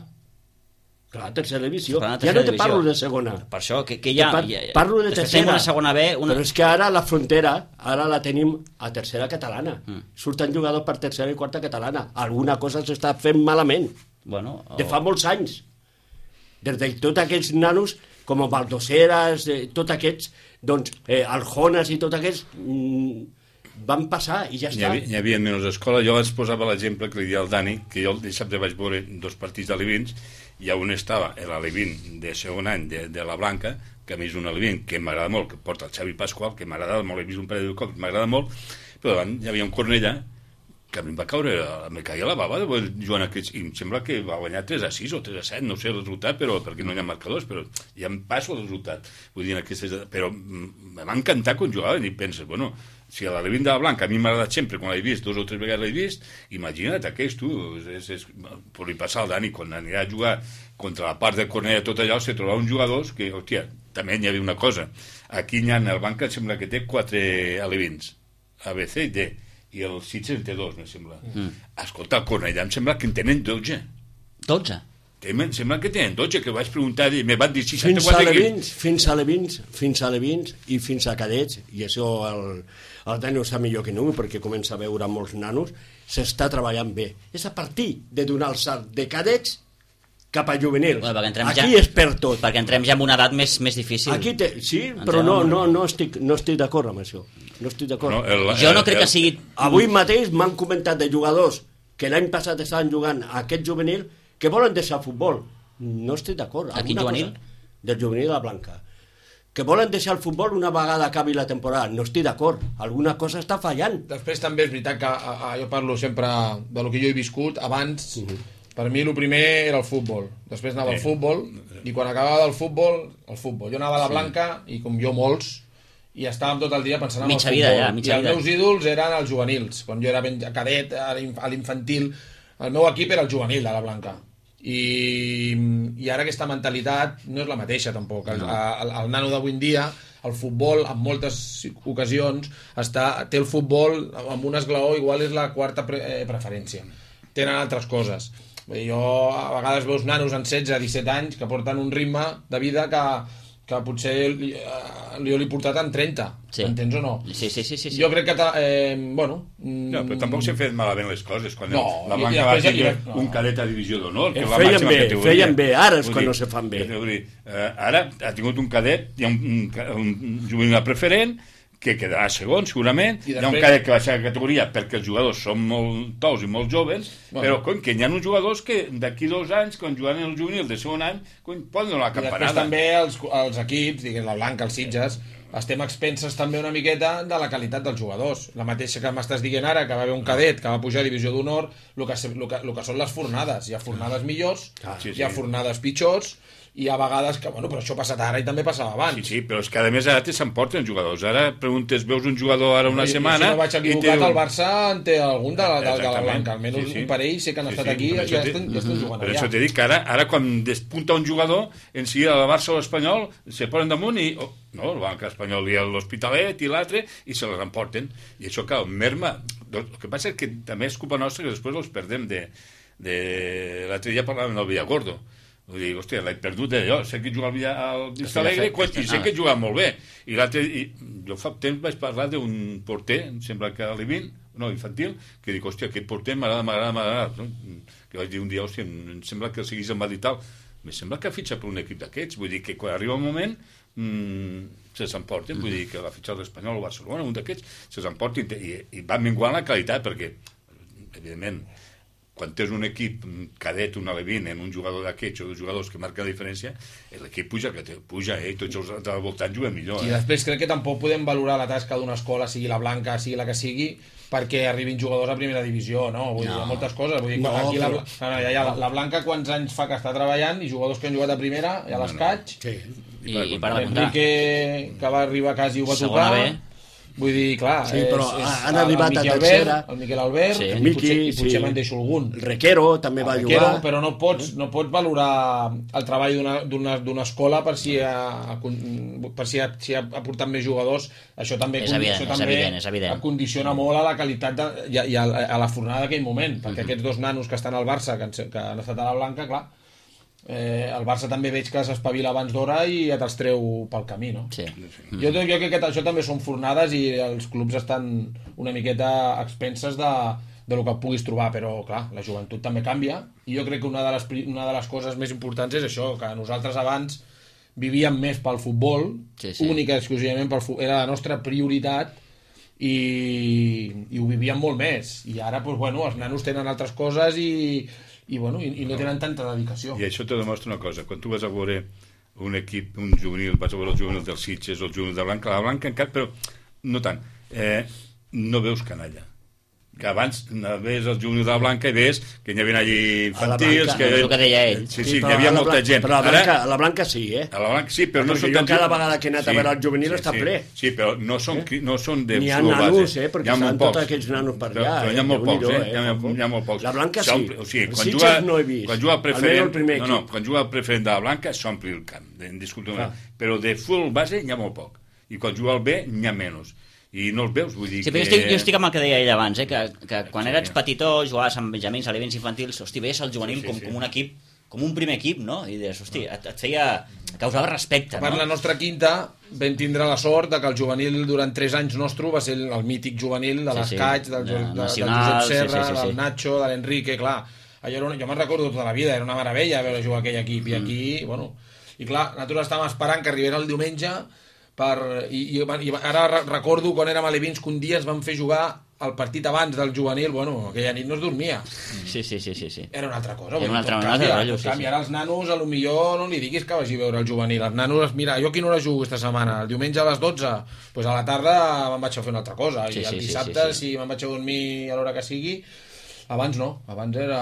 clar, tercera divisió. Parlant de Ja no tercera te parlo divisió. de segona. Per això, que, que hi ha... Par hi ha- parlo de després tercera. tenim una segona B, una... Però és que ara la frontera, ara la tenim a tercera catalana. Mm. Surten jugadors per tercera i quarta catalana. Alguna cosa s'està fent malament. Bueno, o... De fa molts anys. Des de tots aquests nanos, com Baldoseras, eh, tots aquests, doncs, eh, Aljones i tots aquests, mm, van passar i ja Hi està. havia, hi havia menys escola. Jo els posava l'exemple que li dia al Dani, que jo el dissabte vaig veure dos partits d'alevins, i on estava l'alevin de segon any de, de la Blanca, que a mi és un alevin que m'agrada molt, que porta el Xavi Pasqual, que m'agrada molt, he vist un parell de cops, m'agrada molt, però davant hi havia un Cornellà que a mi em va caure, me caia la bava de veure jugant aquests, i em sembla que va guanyar tres a sis o tres a set, no sé el resultat, però perquè no hi ha marcadors, però ja em passo el resultat. Vull dir, en aquestes, però mm, em va encantar quan jugaven i penses, bueno, si a l'Alevin de la Blanca a mi m'ha agradat sempre, quan l'he vist, dos o tres vegades l'he vist, imagina't aquest, tu, és, és, per li passar al Dani, quan anirà a jugar contra la part de Cornellà, tot allò, se troba uns jugadors que, hòstia, també hi havia una cosa, aquí hi ha el Banca, em sembla que té quatre alevins, A, B, C i D, i el Sitges en té dos, em sembla. Mm. Escolta, el Cornellà em sembla que en tenen dotze. dotze? Em sembla que tenen dotze, que vaig preguntar, i me van dir Fins a seixanta-quatre Levins, fins a Levins, fins a Levins i fins a cadets, i això el, el Dani ho sap millor que no, perquè comença a veure molts nanos, s'està treballant bé. És a partir de donar el salt de cadets cap a juvenil. Bueno, perquè entrem Aquí ja- és per tot. Perquè entrem ja en una edat més, més difícil. Aquí te, sí, Entrem però no, en- no, no estic, no estic d'acord amb això. No estic d'acord. No, el, Jo no el- crec el- que sigui... Avui mateix m'han comentat de jugadors que l'any passat estaven jugant a aquest juvenil que volen deixar el futbol. No estic d'acord. A quin Alguna juvenil? cosa- Del juvenil de la Blanca. Que volen deixar el futbol una vegada acabi la temporada. No estic d'acord. Alguna cosa està fallant. Després també és veritat que a, a, jo parlo sempre de lo que jo he viscut. Abans, uh -huh. per mi el primer era el futbol. Després anava al Sí. futbol, i quan acabava del futbol, el futbol. Jo anava a la Blanca, i com jo molts, i estàvem tot el dia pensant en Mitja el vida, futbol. ja, mitja I els vida. meus ídols eren els juvenils. Quan jo era ben cadet, a l'inf- a l'infantil, el meu equip era el juvenil de la Blanca. I, i ara aquesta mentalitat no és la mateixa tampoc. El, el, el nano d'avui en dia, el futbol en moltes ocasions està, té el futbol amb un esglaó, igual és la quarta pre, eh, preferència. tenen altres coses. Vull dir, jo a vegades veus nanos en setze, disset anys que porten un ritme de vida que, que potser li, jo l'he portat en trenta, sí. Entens o no? Sí, sí, sí, sí, sí. Jo crec que, eh, bueno... No, però tampoc s'han fet malament les coses. Quan no, la i, Blanca i va després, tenir no. un cadet a divisió d'honor, que Eh, és la feien màxima bé, categoria. feien bé, ara és Vull quan dir, no se fan bé. Vull dir, eh, ara ha tingut un cadet, hi ha un, un, un juvenil preferent, que quedarà segon, segurament. I després... Hi ha un cadet que va ser a categoria perquè els jugadors són molt tous i molt joves, bueno. Però coi, que hi ha uns jugadors que d'aquí dos anys, quan juguen el juvenil de segon any, coi, poden donar la campanada. I després també els, els equips, diguem, la Blanca, els Sitges, estem expenses també una miqueta de la qualitat dels jugadors. La mateixa que m'estàs dient ara, que va haver un cadet que va pujar a divisió d'honor, el que, el, que, el que són les fornades. Hi ha fornades millors, ah, sí, sí. Hi ha fornades pitjors, i a vegades que, bueno, però això ha passat ara i també passava abans. Sí, sí, però és que a més ara te s'emporten jugadors. Ara preguntes, veus un jugador ara una I, setmana... I si no vaig equivocat, el Barça en té algun de, de, de la Blanca. Almenys sí, sí. Un parell sé que han sí, estat sí, aquí i ja estan, ja estan jugant per allà. això t'he dit que ara, ara quan despunta un jugador, en si el Barça o l'Espanyol se posen damunt i... Oh, no, el Banc Espanyol i l'Hospitalet i l'altre, i se les emporten. I això, clar, merma... El que passa és que també és culpa nostra que després els perdem de... de... L'altre dia parlàvem del Villagordo. Vull dir, hòstia, l'he perdut de jo, sé que juga al Vista Alegre i sé que juga molt bé. I l'altre, jo fa temps vaig parlar d'un porter, em sembla que a l'Ivin, no, infantil, que dic, hòstia, aquest porter m'agrada, m'agrada, m'agrada. Que vaig dir un dia, hòstia, em sembla que el seguís en va dir tal. Me sembla que ha fitxat per un equip d'aquests. Vull dir que quan arriba un moment mmm, se s'emporten. Vull dir que l'ha fitxat l'Espanyol o Barcelona, un d'aquests, se s'emporten i, i va menguant la qualitat perquè, evidentment, quan tens un equip cadet, un alevin, en un jugador d'aquests o dos jugadors que marquen la diferència, l'equip puja, que puja, eh? Tots els al voltant juguen millor. Eh? I després crec que tampoc podem valorar la tasca d'una escola, sigui la Blanca, sigui la que sigui, perquè arribin jugadors a primera divisió, no? Vull no. dir, hi ha moltes coses. Vull dir, no, aquí però... la, no, no, ja, la, la Blanca quants anys fa que està treballant i jugadors que han jugat a primera, ja l'escaig. No, no. Sí. I, i, i per de comptar. Enrique, que va arribar quasi ho va segona tocar. B. Vull dir, clar, sí, però és, és han arribat a tercera. Albert, el Miquel Albert, sí. el Miqui, i potser, sí. me'n deixo algun. El Requero també va Requero, jugar. Però no pots, no pots valorar el treball d'una escola per si ha, per si ha, si ha aportat més jugadors. Això també, és evident, això és també evident, és evident. condiciona molt a la qualitat de, i, a, i a, a la fornada d'aquell moment, perquè mm-hmm. aquests dos nanos que estan al Barça, que han, que han estat a la Blanca, clar, Eh, el Barça també veig que s'espavila abans d'hora i ja te'ls treu pel camí, no? Sí. Jo, jo crec que això també són fornades i els clubs estan una miqueta a expenses de, de lo que puguis trobar, però clar, la joventut també canvia i jo crec que una de les, una de les coses més importants és això, que nosaltres abans vivíem més pel futbol, sí, sí. única exclusivament pel futbol, era la nostra prioritat i, i ho vivíem molt més i ara, doncs, bueno, els nanos tenen altres coses i i, bueno, i, i no tenen tanta dedicació. I això te demostra una cosa, quan tu vas a veure un equip, un juvenil, vas a veure el juvenil dels Sitges o el juvenil de Blanca, la Blanca encara, però no tant, eh, no veus canalla. Que abans ves el juvenil de la Blanca i ves que hi havia allí infantils... Que... És el que deia ell. Sí, sí, sí hi havia molta gent. Però a la Blanca, a la Blanca sí, eh? A la Blanca sí, però no perquè són... jo cada vegada que he anat sí, a veure el juvenil sí, està sí, ple. Sí, però no són, eh? no són de N'hi ha flor base. nanos, eh? Perquè estan tots aquests nanos per allà. Però hi ha molt pocs, eh? Hi ha, hi ha molt pocs. La Blanca sí. O sigui, quan Sitges juga, no he vist. Quan juga el preferent... El primer no, no, quan juga el preferent de la Blanca s'ompli el camp, indiscutiblement. Però de full base n'hi ha molt poc. I quan juga el B n'hi ha menys. I no els veus, vull dir sí, que... Jo estic, jo estic amb el que deia ell abans, eh? que, que quan sí, eres petitó, jugaves amb benjamins, a l'events infantils, hosti, veies el juvenil sí, sí, com, sí. com un equip, com un primer equip, no? I deies, hosti, et, et feia... causava respecte, no? Per la nostra quinta vam tindre la sort de que el juvenil durant tres anys nostre va ser el, el mític juvenil de l'Escaig, sí, sí. del, de, de, Nacional, del Josep Serra, sí, sí, sí, del sí. Nacho, de l'Enrique, clar. Allò era, jo me'n recordo tota la vida, era una meravella veure jugar aquell equip, i aquí, mm. bueno... I clar, nosaltres estàvem esperant que arribés el diumenge per... I, i, i ara recordo quan érem a l'Evins que un dia ens van fer jugar el partit abans del juvenil, bueno, aquella nit no es dormia. Sí, sí, sí, sí, sí. Era una altra cosa. Era una altra cosa. Canvia, rotllo, sí, sí. sí. Ara els nanos, a lo millor no li diguis que vagi a veure el juvenil. Els nanos, mira, jo a quina hora jugo aquesta setmana? El diumenge a les dotze? Doncs pues a la tarda me'n vaig a fer una altra cosa. Sí, I el sí, dissabte, sí, sí, sí. si me'n vaig a dormir a l'hora que sigui... Abans no, abans era...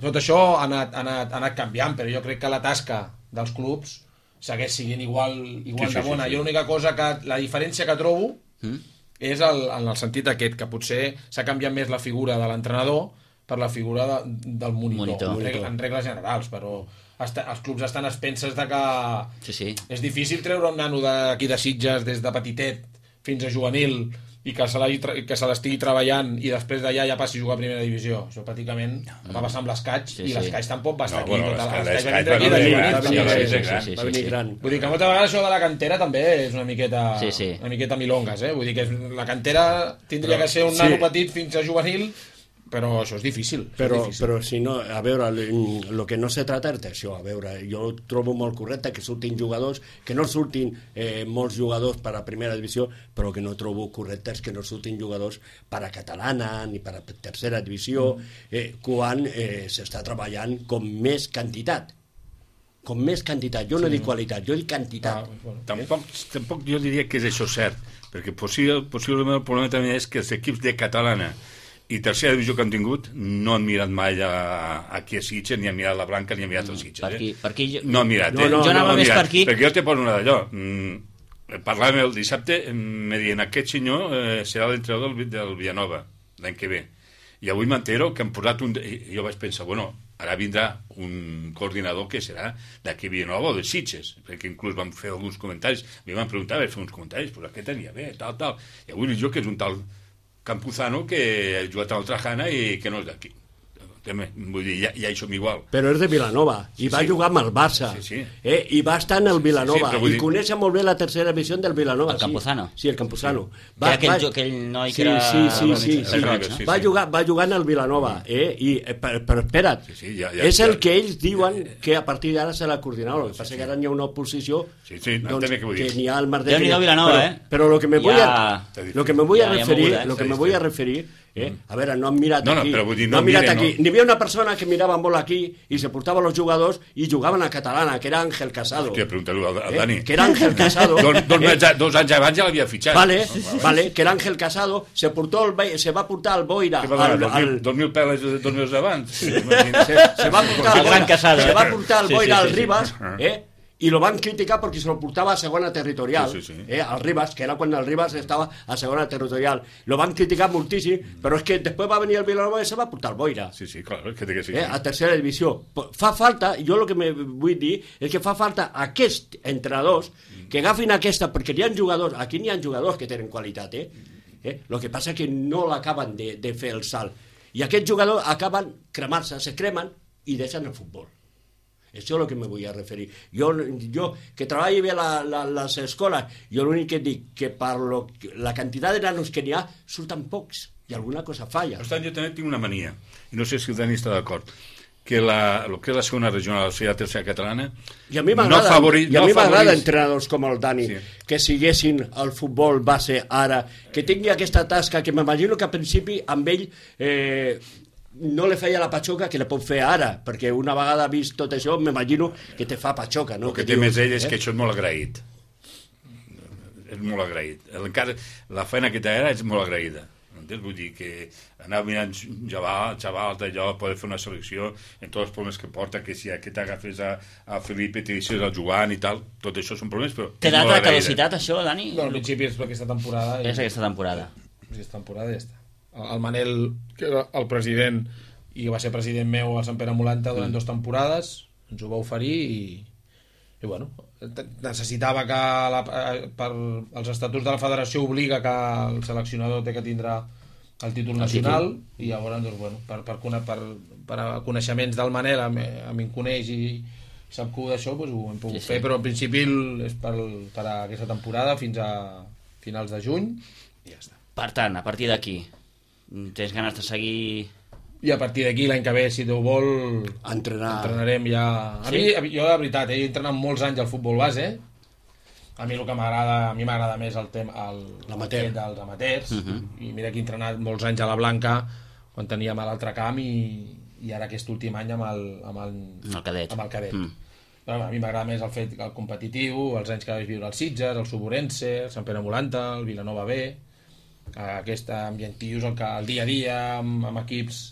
Tot això ha anat, ha anat, ha anat canviant, però jo crec que la tasca dels clubs segueix siguent igual, igual sí, sí, de bona. Sí, sí. Jo l'única cosa que... La diferència que trobo mm. és el, en el sentit aquest, que potser s'ha canviat més la figura de l'entrenador per la figura de, del monitor, monitor. En, regles, en regles generals, però està, els clubs estan a expenses de que sí, sí. és difícil treure un nano d'aquí de Sitges des de petitet fins a juvenil i que se, que se l'estigui treballant i després d'allà ja passi a jugar a primera divisió. Això pràcticament va passar amb l'Escaig sí, i l'Escaig tampoc va estar no, aquí. Bueno, l'Escaig va venir gran. Vull dir que moltes vegades això de la cantera també és una miqueta, sí, sí. una miqueta milongas, eh? Vull dir que la cantera tindria però, que ser un sí. nano petit fins a juvenil, però això és difícil. Però, és difícil. però si no, a veure, el que no se trata és d'això. A veure, jo trobo molt correcte que surtin jugadors, que no surtin eh, molts jugadors per a primera divisió, però que no trobo correcte és que no surtin jugadors per a catalana ni per a tercera divisió, eh, quan eh, s'està treballant com més quantitat. Com més quantitat. Jo no sí. dic qualitat, jo dic quantitat. Ah, bueno. tampoc, tampoc jo diria que és això cert, perquè possible, possiblement el problema també és que els equips de catalana i tercera divisió que han tingut no han mirat mai a, aquí a Sitges, ni han mirat la Blanca, ni han mirat els Sitges. Per aquí, eh? per aquí jo... No han mirat, no, eh? no, jo anava no, més mirat, per aquí. Perquè jo te poso una d'allò. Mm, parlàvem el dissabte, me diuen, aquest senyor eh, serà l'entrenador del, del Villanova l'any que ve. I avui m'entero que han posat un... I jo vaig pensar, bueno, ara vindrà un coordinador que serà d'aquí Villanova o de Sitges, perquè inclús vam fer alguns comentaris, mi van preguntar, vaig fer uns comentaris, però aquest tenia bé, tal, tal. I avui jo que és un tal Campuzano que ha jugat al Trajana i que no és d'aquí. Vull dir, ja, ja hi som igual. Però és de Vilanova, i sí, va sí. jugar amb el Barça, sí, sí. Eh? i va estar en el Vilanova, sí, sí, i dir... coneix molt bé la tercera divisió del Vilanova. El Campuzano? Sí, sí el Campuzano. Sí. Va, aquell, va... aquell noi que sí, era... Sí, sí, sí, sí, roig, sí. Va, jugar, va jugar en el Vilanova, eh? I, però, però espera't, sí, sí, ja, ja, és el ja, que ells diuen ja, ja. que a partir d'ara serà coordinador. El que passa sí, sí. que ara n'hi ha una oposició sí, sí, doncs, que, que n'hi ha al Mardet. Déu-n'hi-do Vilanova, però, eh? Però lo que me voy ja... a, lo que me voy a ja, referir, ja moguda, eh? lo que me voy a referir Eh? A veure, no han mirat no, no, aquí, però vull dir, no no han mirat miren, aquí. No. N'hi havia una persona que mirava molt aquí i se portava los jugadors i jugaven a catalana, que era Ángel Casado. Hòstia, pregunta-lo al, al Dani. Eh? Que era Ángel Casado. dos, dos, eh? anys, dos anys abans ja l'havia fitxat. Vale, sí, sí, vale, que era Ángel Casado, se, portó el, se va portar al Boira. Què va donar, al, al, dos mil peles dos mesos abans? se, se va portar al Boira, Casado, se eh? va portar al Boira sí, sí, al sí, Ribas, sí. eh? i lo van criticar perquè se lo portava a segona territorial, sí, sí, sí. Eh, al Ribas, que era quan el Ribas estava a segona territorial. Lo van criticar moltíssim, però és que després va venir el Vilanova i se va portar al Boira. Sí, sí, clar, que té que sí, Eh, sí. a tercera divisió. Fa falta, jo el que me vull dir és que fa falta aquests entrenadors que agafin aquesta, perquè hi ha jugadors, aquí n'hi ha jugadors que tenen qualitat, eh? Eh? El que passa és que no l'acaben de, de fer el salt. I aquests jugadors acaben cremant-se, se cremen i deixen el futbol. Això és el que me vull a referir. Jo, jo que treballi bé la, la, les escoles, jo l'únic que dic que per lo, la quantitat de nanos que n'hi ha surten pocs i alguna cosa falla. Per tant, jo també tinc una mania, i no sé si el Dani està d'acord, que la, el que és la segona regional, o sigui, la tercera catalana, i a mi m'agrada no favori, no no favoris... entrenadors com el Dani, sí. que siguessin el futbol base ara, que tingui aquesta tasca, que m'imagino que al principi amb ell... Eh, no li feia la patxoca que la pot fer ara, perquè una vegada vist tot això m'imagino que te fa patxoca, no? El que, que té dius, més ell és eh? que això és molt agraït, és molt agraït. Encara la feina que té ara és molt agraïda. Entens? Vull dir que anar mirant xaval, xaval d'allò, poder fer una selecció en tots els problemes que porta, que si aquest agafes a, a Felipe, te deixes al Joan i tal, tot això són problemes, però té data de caducitat, això, Dani? No, al principi és aquesta temporada. És aquesta temporada. Aquesta temporada ja està. El Manel, que era el president i va ser president meu al Sant Pere Mulanta durant mm. dues temporades, ens ho va oferir i, i bueno, necessitava que la, per els estatuts de la federació obliga que el seleccionador té que tindrà el títol nacional el títol. I llavors doncs, bueno, per, per, per, per coneixements del Manel a mi, a mi em coneix i sap que d'això doncs, ho hem pogut sí, sí. fer, però al principi és per, per a aquesta temporada fins a finals de juny i ja està. Per tant, a partir d'aquí tens ganes de seguir... I a partir d'aquí, l'any que ve, si Déu vol, Entrenar. entrenarem ja... A sí? mi, jo, de veritat, he entrenat molts anys al futbol base. A mi el que m'agrada, a mi m'agrada més el tema el, l'amateur el dels amateurs. Uh Mhm. -huh. I mira que he entrenat molts anys a la Blanca, quan teníem a l'altre camp, i, i ara aquest últim any amb el, amb el, el cadet. Amb el cadet. Mm. Però, a mi m'agrada més el fet el competitiu, els anys que vaig viure al Sitges, el Suburense, el Sant Pere Mulanta, el Vilanova B, aquest ambientiu, el, que, el dia a dia amb, amb equips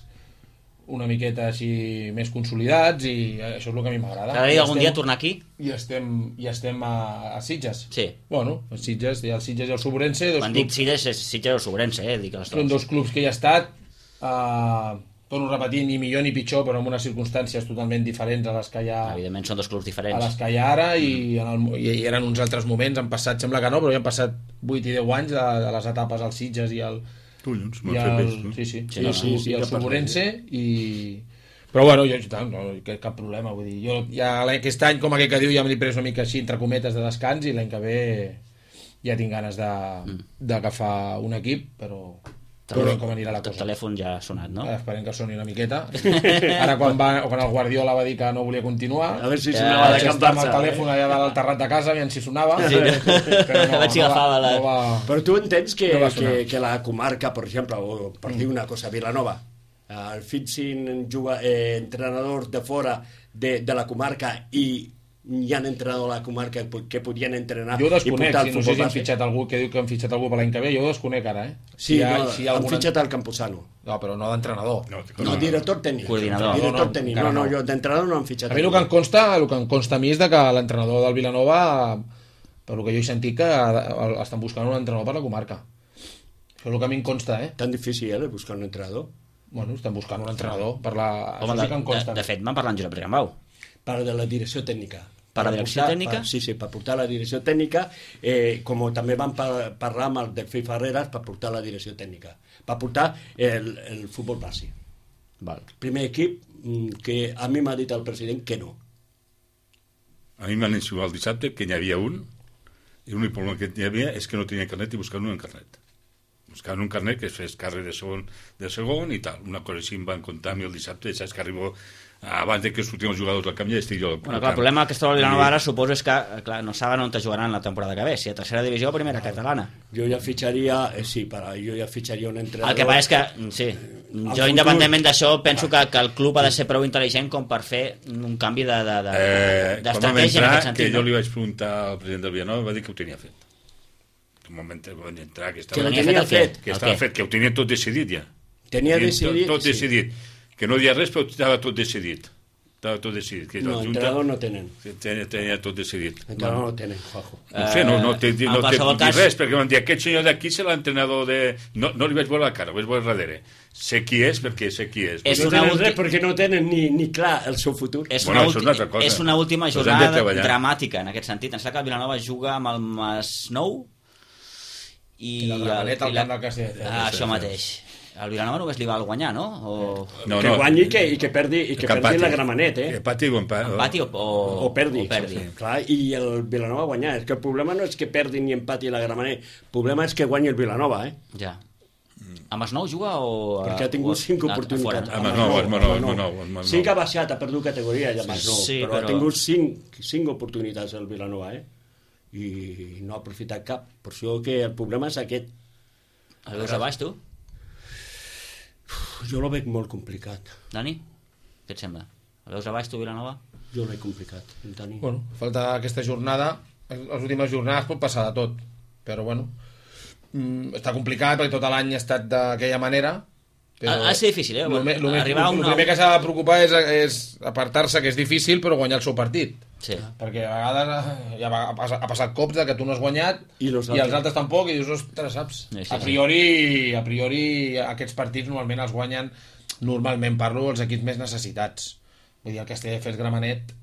una miqueta així més consolidats, i això és el que a mi m'agrada. T'agradaria algun dia tornar aquí? I estem, i estem a, a Sitges. Sí. Bueno, a Sitges, hi ha el Sitges i el Suburense. Quan dic Sitges, és Sitges o Suburense, eh? Dic les són dos clubs que hi ha estat. Uh, torno a repetir, ni millor ni pitjor, però en unes circumstàncies totalment diferents a les que hi ha, Evidentment són dos clubs a diferents. les que hi ha ara, i, en el, i eren uns altres moments, han passat, sembla que no, però ja han passat vuit i deu anys de, de les etapes al Sitges i al, Collons, i m'ho el, fet bé. sí, sí, Sí, i, no, sí, no, sí, i el que parlem. Soborense, i... Però bueno, jo tant, no, cap, cap problema, vull dir, jo ja aquest any, com aquell que diu, ja m'he pres una mica així, entre cometes, de descans, i l'any que ve ja tinc ganes de, d'agafar un equip, però... Veurem com anirà la El cosa. telèfon ja ha sonat, no? Eh, Esperem que soni una miqueta. Ara quan, va, quan el Guardiola va dir que no volia continuar, A veure si Ja, sonava de vaig Camp estar amb el Barça. telèfon allà dalt al terrat de casa, aviam si sonava, Sí, no? però no, Vaig no, agafar va, la- no va... Però tu entens que, No va sonar. que, que la comarca, per exemple, o per dir una cosa, Vilanova, el fitxin juga, eh, entrenadors de fora de, de la comarca i hi ha entrenadors de la comarca que, que podien entrenar Jo ho i desconec, portar el si no sé futbol si han base. fitxat algú que diu que han fitxat algú per l'any que ve, jo ho desconec ara, eh? Sí, hi ha, no, si hi ha han algun... fitxat el Campuzano. No, però no d'entrenador. No, No, director tècnic. Coordinador. Director No, no, tècnic. encara No, no, no. jo d'entrenador no han fitxat. A mi el que em consta, el que em consta a mi és de que l'entrenador del Vilanova, per el que jo he sentit, que el- estan buscant un entrenador per la comarca. Això és el que a mi em consta, eh? Tan difícil, eh, buscar un entrenador. Bueno, estan buscant un entrenador per la... Home, Això de, sí que em de, consta. de fet, van parlar amb Josep Rigambau. Per de la direcció tècnica. Per la direcció portar, tècnica? Per, sí, sí, per portar la direcció tècnica, eh, com també van par parlar amb el Delfí Ferreras per portar la direcció tècnica, per portar el, el futbol base. Val. Primer equip mm, que a mi m'ha dit el president que no. A mi m'han insinuat el dissabte que n'hi havia un, i l'únic problema que hi havia és que no tenia carnet i buscaven un carnet. Buscaven un carnet que es fes càrrec de segon, de segon i tal. Una cosa així em van contar a mi el dissabte, saps que arribo abans de que sortien els jugadors del camp ja estic jo al Bueno, camp. clar, el problema que es troba el Vilanova ara suposo és que clar, no saben on te jugaran la temporada que ve, si a tercera divisió o primera catalana. Jo ja fitxaria, eh, sí, per, jo ja fitxaria un entrenador. El que passa és que, sí, jo futur- independentment d'això penso que, que el club ha de ser prou intel·ligent com per fer un canvi de, de, de, Eh, quan vam d'estratègia en entrar, aquest que sentit. jo No? li vaig preguntar al president del Vilanova, va dir que ho tenia fet. Un moment que vaig entrar, que Que estava, lo tenia tenia fet el què? fet. que El estava què? fet, que ho tenia tot decidit ja. Tenia Tot- decidit, Tot, sí. decidit. Que no dia res, però estava tot decidit. Estava tot decidit. Que No, la Junta entrenador no tenen. tenia, tenia tot decidit. Entrenador no tenen, Juanjo. No sé, no, no té, Eh, en no té qualsevol dir cas- res, perquè van dir, aquest senyor d'aquí és l'entrenador de... No, no li vaig veure la cara, ho vaig veure darrere. Sé qui és, perquè sé qui és. És No una tenen ulti- res perquè no tenen ni, ni clar el seu futur. És, Bueno, una això és ulti- una altra cosa. és una última Doncs hem de jornada treballar. dramàtica en aquest sentit. Em sembla que el Vilanova juga amb el Masnou i, I la Gramenet al i la- camp del Castelldefels. Ah, això mateix. El Vilanova només li val guanyar, no? O... No, que no. guanyi i que, i que perdi, i que Que perdi empati. la Gramenet, eh? Que empati o empa- Empati o, o, O perdi. O perdi. Sí, clar, i el Vilanova guanyar. És que el problema no és que perdi ni empati la Gramenet. El problema és que guanyi el Vilanova, eh? Ja. A Masnou juga o... Perquè ha tingut o- cinc a- a oportunitats. fora? Amb el nou, amb el nou, amb el nou, amb el nou. Sí que ha baixat, ha perdut categoria ja més nou, Sí, però, però- ha tingut cinc, cinc oportunitats el Vilanova, eh? I no ha aprofitat cap. Per això que el problema és aquest. El veus a baix, tu? Jo lo veig molt complicat. Dani? Què et sembla? El veus a baix, tu, Vilanova? Jo lo veig complicat, Dani. Bueno, falta aquesta jornada, les últimes jornades pot passar de tot, però bueno, mm, està complicat perquè tot l'any ha estat d'aquella manera. Ha, ha de ser difícil, eh? El, el, Arribar a un el nou... primer que s'ha de preocupar és, és apartar-se, que és difícil, però guanyar el seu partit. Sí. Perquè a vegades eh, ja va, ha, passat, ha passat cops de que tu no has guanyat I los i els altres. altres tampoc, i dius, ostres, saps? Sí, sí, a priori, a priori aquests partits normalment els guanyen, normalment parlo, els equips més necessitats. Vull dir, el Castelldefels Gramenet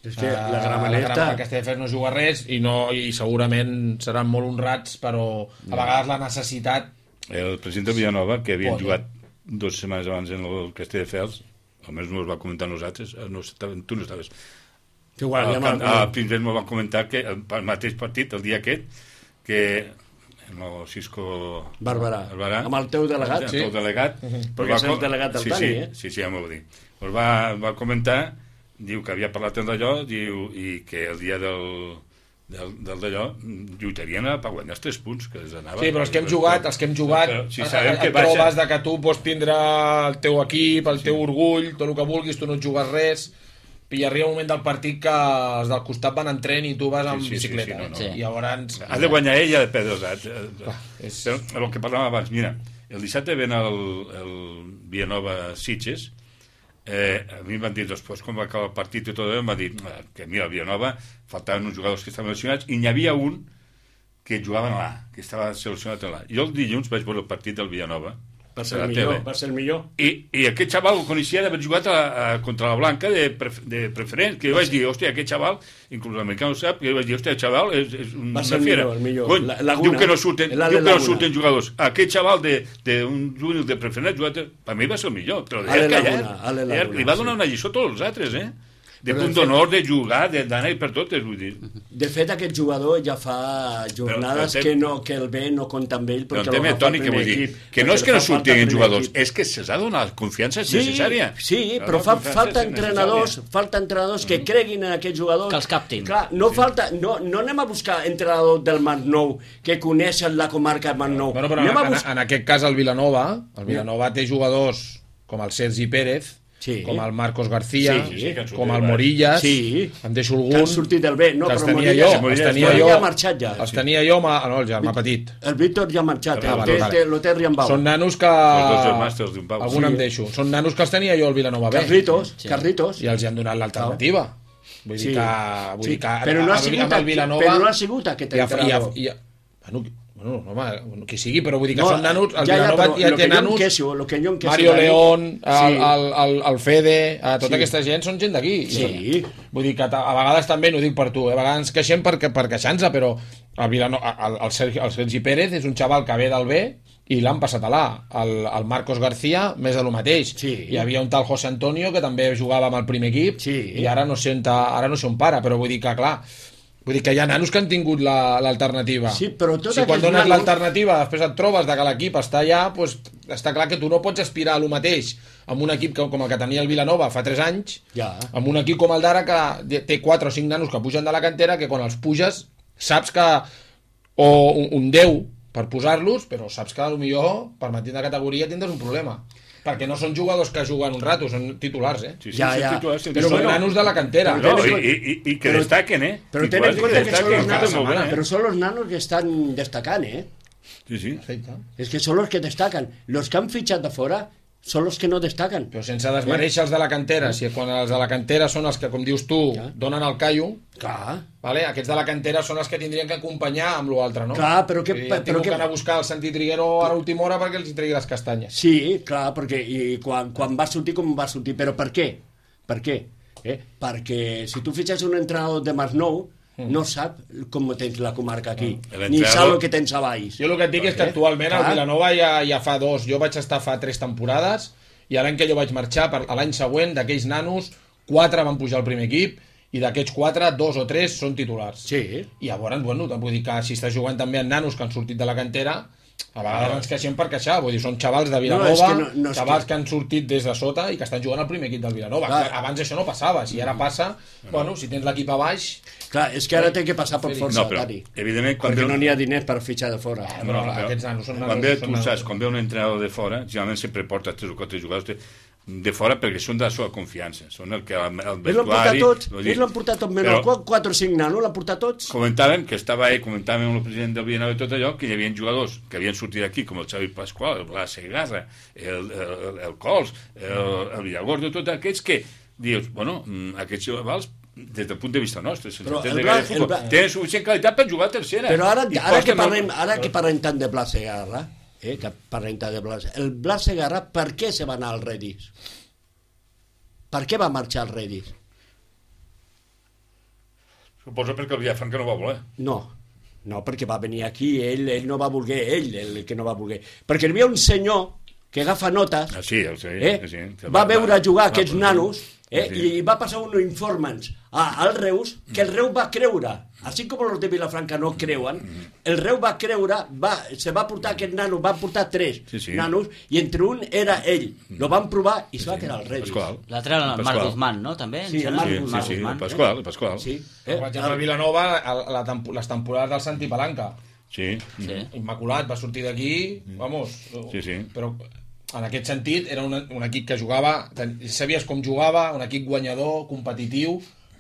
És que eh, la Gramenet... el Castelldefels no juga res i, no, i segurament seran molt honrats, però a vegades la necessitat... El president de Villanova, que havien Polla. jugat dues setmanes abans en el Castelldefels, almenys no us va comentar a nosaltres, eh, no, estaven- tu no estaves. Que igual, Al ja camp- m'ha- a Pinsbet m'ho van comentar que el, el mateix partit, el dia aquest, que el Cisco Barberà. Barberà, Amb el teu delegat, el sí. teu delegat, Perquè és el delegat del sí, Dani, sí, eh? Sí, sí, ja m'ho va dir. Pues va, va comentar, diu que havia parlat amb d'allò, diu, i que el dia del, del, del d'allò lluitarien a- per guanyar els tres punts que els anava. Sí, però els que hem jugat, els que hem jugat, Però si et- sabem et que baixa- trobes de que tu pots tindre el teu equip, el teu orgull, tot el que vulguis, tu no et jugues res, i arriba un moment del partit que els del costat van en tren i tu vas amb Sí, sí, sí, bicicleta. sí, no, no. eh? I llavors... Ha de guanyar ell i ha de perdre els altres. Clar, és- Però el que parlàvem abans, mira, el dissabte ven el, el Villanova Sitges, eh, a mi em van dir després, com va acabar el partit i tot allò, em va dir eh, que mira, el Villanova faltaven uns jugadors que estaven lesionats i n'hi havia un que jugava en l'A, que estava seleccionat en l'A. Jo el dilluns vaig veure el partit del Villanova Va ser a la el millor, tele. va ser el millor. I, i aquest xaval ho coneixia d'haver jugat a, a, contra la Blanca de, pref, de preferent, que jo vaig dir, hòstia, aquest xaval, inclús l'americà ho sap, que jo vaig dir, hòstia, el xaval és, és un, Va ser una el fiera. millor, el millor. Cony, La- Laguna. diu que no surten, El Ale diu que no Laguna. surten jugadors. Aquest xaval d'un juvenil de preferent, jugat, per mi va ser el millor. Te lo Ale deia callat. Laguna, Ale Deia- Laguna, Li va donar sí. una lliçó a tots els altres, eh? De Però punt de fet- d'honor, de jugar, de- d'anar per totes, vull dir. De fet, aquest jugador ja fa jornades Però- però- que, no, que el B no compta amb ell Però perquè entenc, l'agafa Toni, el que vull primer dir, equip, que no és perquè que no li fa falta surtin el primer jugadors, equip. és que se'ls ha donat confiança Sí, necessària. sí, La però fa, confiança falta és entrenadors, necessària. falta entrenadors que creguin en aquest jugador. Que els captin. Clar, no, falta, no, no anem a buscar entrenadors del Masnou que coneixen la comarca del Masnou. Bueno, però anem en, a en, buscar... en aquest cas el Vilanova, el Vilanova té jugadors com el Sergi Pérez, Sí. com el Marcos García, Sí, sí, que han sortit com el del baix. Morillas, Sí. em deixo Que algun, han sortit del B, no, que els però tenia Morillas- jo, els Morillas tenia Morillas jo, ja ha marxat ja. els tenia jo, ma... no, ja m'ha patit. El Víctor ja ha marxat, Ah, el vale, té, vale. té, lo té Riambau. Són nanos que... Els dos germans te'ls d'un pau. Algun Sí. em deixo. Són nanos que els tenia jo al Vilanova B. Carritos, Sí. Carritos. I els hi han donat l'alternativa. Vull dir Sí. que... Vull Sí, dir que però no ha amb- sigut amb el aquí- Vilanova... però no ha sigut aquest i ha- i ha- entrenador. i ha- Bueno, bueno, home, qui sigui, però vull dir que No, són nanos... El ja, ja, Vilanova però ja lo té que jo em nanos... queixo, lo que jo em queixo Mario d'ahir- León, el, Sí. el, el, el Fede, eh, tota Sí. aquesta gent són gent d'aquí. Sí. Vull dir que ta- a vegades també, no ho dic per tu, eh, a vegades ens queixem per, per queixar-nos, però el, Vilanova, el, el, Sergi, el Sergi Pérez és un xaval que ve del B i l'han passat a l'A. El, el Marcos García, més de lo mateix. Sí. Hi havia un tal José Antonio que també jugava amb el primer equip Sí. i ara no sé on, ta- ara no sé on para, però vull dir que, clar, vull dir que hi ha nanos que han tingut la- l'alternativa. Sí, però tots si quan aquests dones nanos- l'alternativa després et trobes de que l'equip està allà, doncs està clar que tu no pots aspirar a lo mateix amb un equip que, com el que tenia el Vilanova fa tres anys, Ja. amb un equip com el d'ara que té quatre o cinc nanos que pugen de la cantera, que quan els puges saps que o un, un deu per posar-los, però saps que potser per mantenir de categoria tindràs un problema. Perquè no són jugadors que juguen un rato, són titulars, eh? Sí, sí, Ja, són ja. titulars, són Però són titulars. nanos de la cantera. Però No, ten en i, i, i que però- destaquen, eh? Però ten en Titulars compte que són destaquen los cada nanos, moment, eh? pero son los nanos que están destacando, ¿eh? Sí, sí. Perfecte. Es que son los que destacan. Los que han fichado de fuera son los que no destacan. Però sense desmereixer els de la cantera, si quan els de la cantera són els que, com dius tu, Ja. donen el callo, Clar. vale? Aquests de la cantera són els que tindrien que acompanyar amb l'altre, no? Clar, però què- Vull dir, però han tingut què- que anar a buscar el Santi Triguero a l'última hora perquè els hi tregui les castanyes. Sí, clar, perquè i quan, quan va sortir com va sortir. Però per què? Per què? Eh? Perquè si tu fitxes un entrenador de Masnou, no sap com tens la comarca aquí, Mm. ni L'entrenador- sap el que tens a baix. Jo el que et dic és que Eh? actualment el Clar. Vilanova ja, ja fa dos, jo vaig estar fa tres temporades i l'any que jo vaig marxar, per, l'any següent, d'aquells nanos, quatre van pujar al primer equip i d'aquests quatre, dos o tres són titulars. Sí. I llavors, bueno, vull dir que si estàs jugant també amb nanos que han sortit de la cantera, a vegades ens queixem per queixar, vull dir, són xavals de Vilanova, No, és que no- no és xavals que- que han sortit des de sota i que estan jugant al primer equip del Vilanova. Clar. Abans això no passava, si ara passa, bueno, si tens l'equip a baix, Clar, és que ara té que passar per força, No, però, Tani. evidentment, quan Perquè ve... no n'hi ha diners per fitxar de fora. però aquests nanos són nanos. Quan ve, són tu nanos. saps, quan ve un entrenador de fora, generalment sempre porta tres o quatre jugadors de, de fora perquè són de la seva confiança. Són el que el, el Ells l'han portat vestuari... tots, vull dir, ells l'han portat tot, menys però qu- quatre o cinc nanos, l'han portat tots. Comentàvem que estava ell, comentàvem amb el president del Vilanova i tot allò, que hi havia jugadors que havien sortit d'aquí, com el Xavi Pasqual, el Blas Segarra, el, el, el Cols, el, el Villagordo, tots aquests que dius, bueno, mm, aquests xavals des del punt de vista nostre, sense Però entendre el gaire Blas- futbol, el Blas- tenen suficient qualitat per jugar a tercera. Però ara, I ara, que costen parlem, molt. ara que parlem tant de Blas Segarra, eh, que parlem tant de Blas... El Blas Segarra, per què se va anar al Redis? Per què va marxar al Redis? Suposo perquè el Villafranca no va voler. No, no, perquè va venir aquí, ell, ell no va voler, ell el que no va voler. Perquè hi havia un senyor que agafa notes, Ah, sí, sí, eh? sí, sí. va veure jugar aquests va, nanos, eh? sí. i va passar uns informants a, al Reus, que el Reus va creure, així com els de Vilafranca no creuen, el Reus va creure, va, se va portar aquest nano, va portar tres Sí, sí. nanos, i entre un era ell, lo van provar i se va quedar al Redis. Pasqual. L'altre era el Pasqual. Marc Guzmán, no? També? Sí, el Em sembla? Marc Sí, Guzmán. sí, sí, Guzmán, el Pasqual, el Pasqual. Sí, Per exemple, el Vilanova, el, la tempo, les temporades del Santi Palanca, Sí. Sí. immaculat, va sortir d'aquí, vamos, Sí, sí. però en aquest sentit era un, un equip que jugava, ten- sabies com jugava, un equip guanyador, competitiu,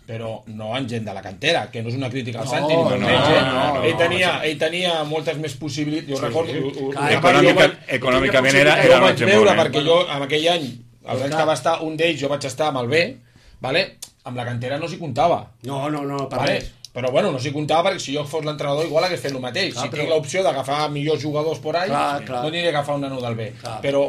però no en gent de la cantera, que no és una crítica al No, Santi, ni molt no, menys, eh? no, no, ell, tenia, ell tenia moltes més possibilitats, jo recordo... ho- ho- Clar, jo econòmica- vaig- econòmicament jo era- vaig era un altre veure, món, eh? perquè jo en aquell any, els anys clar. que va estar un d'ells, jo vaig estar amb el B, vale? Amb la cantera no s'hi comptava. No, no, no, per Vale? res. Però bueno, no s'hi comptava perquè si jo fos l'entrenador igual hagués fet el mateix. Clar, si però... tinc l'opció d'agafar millors jugadors por ahí, clar, clar. no aniré a agafar un nano del B. Clar. Però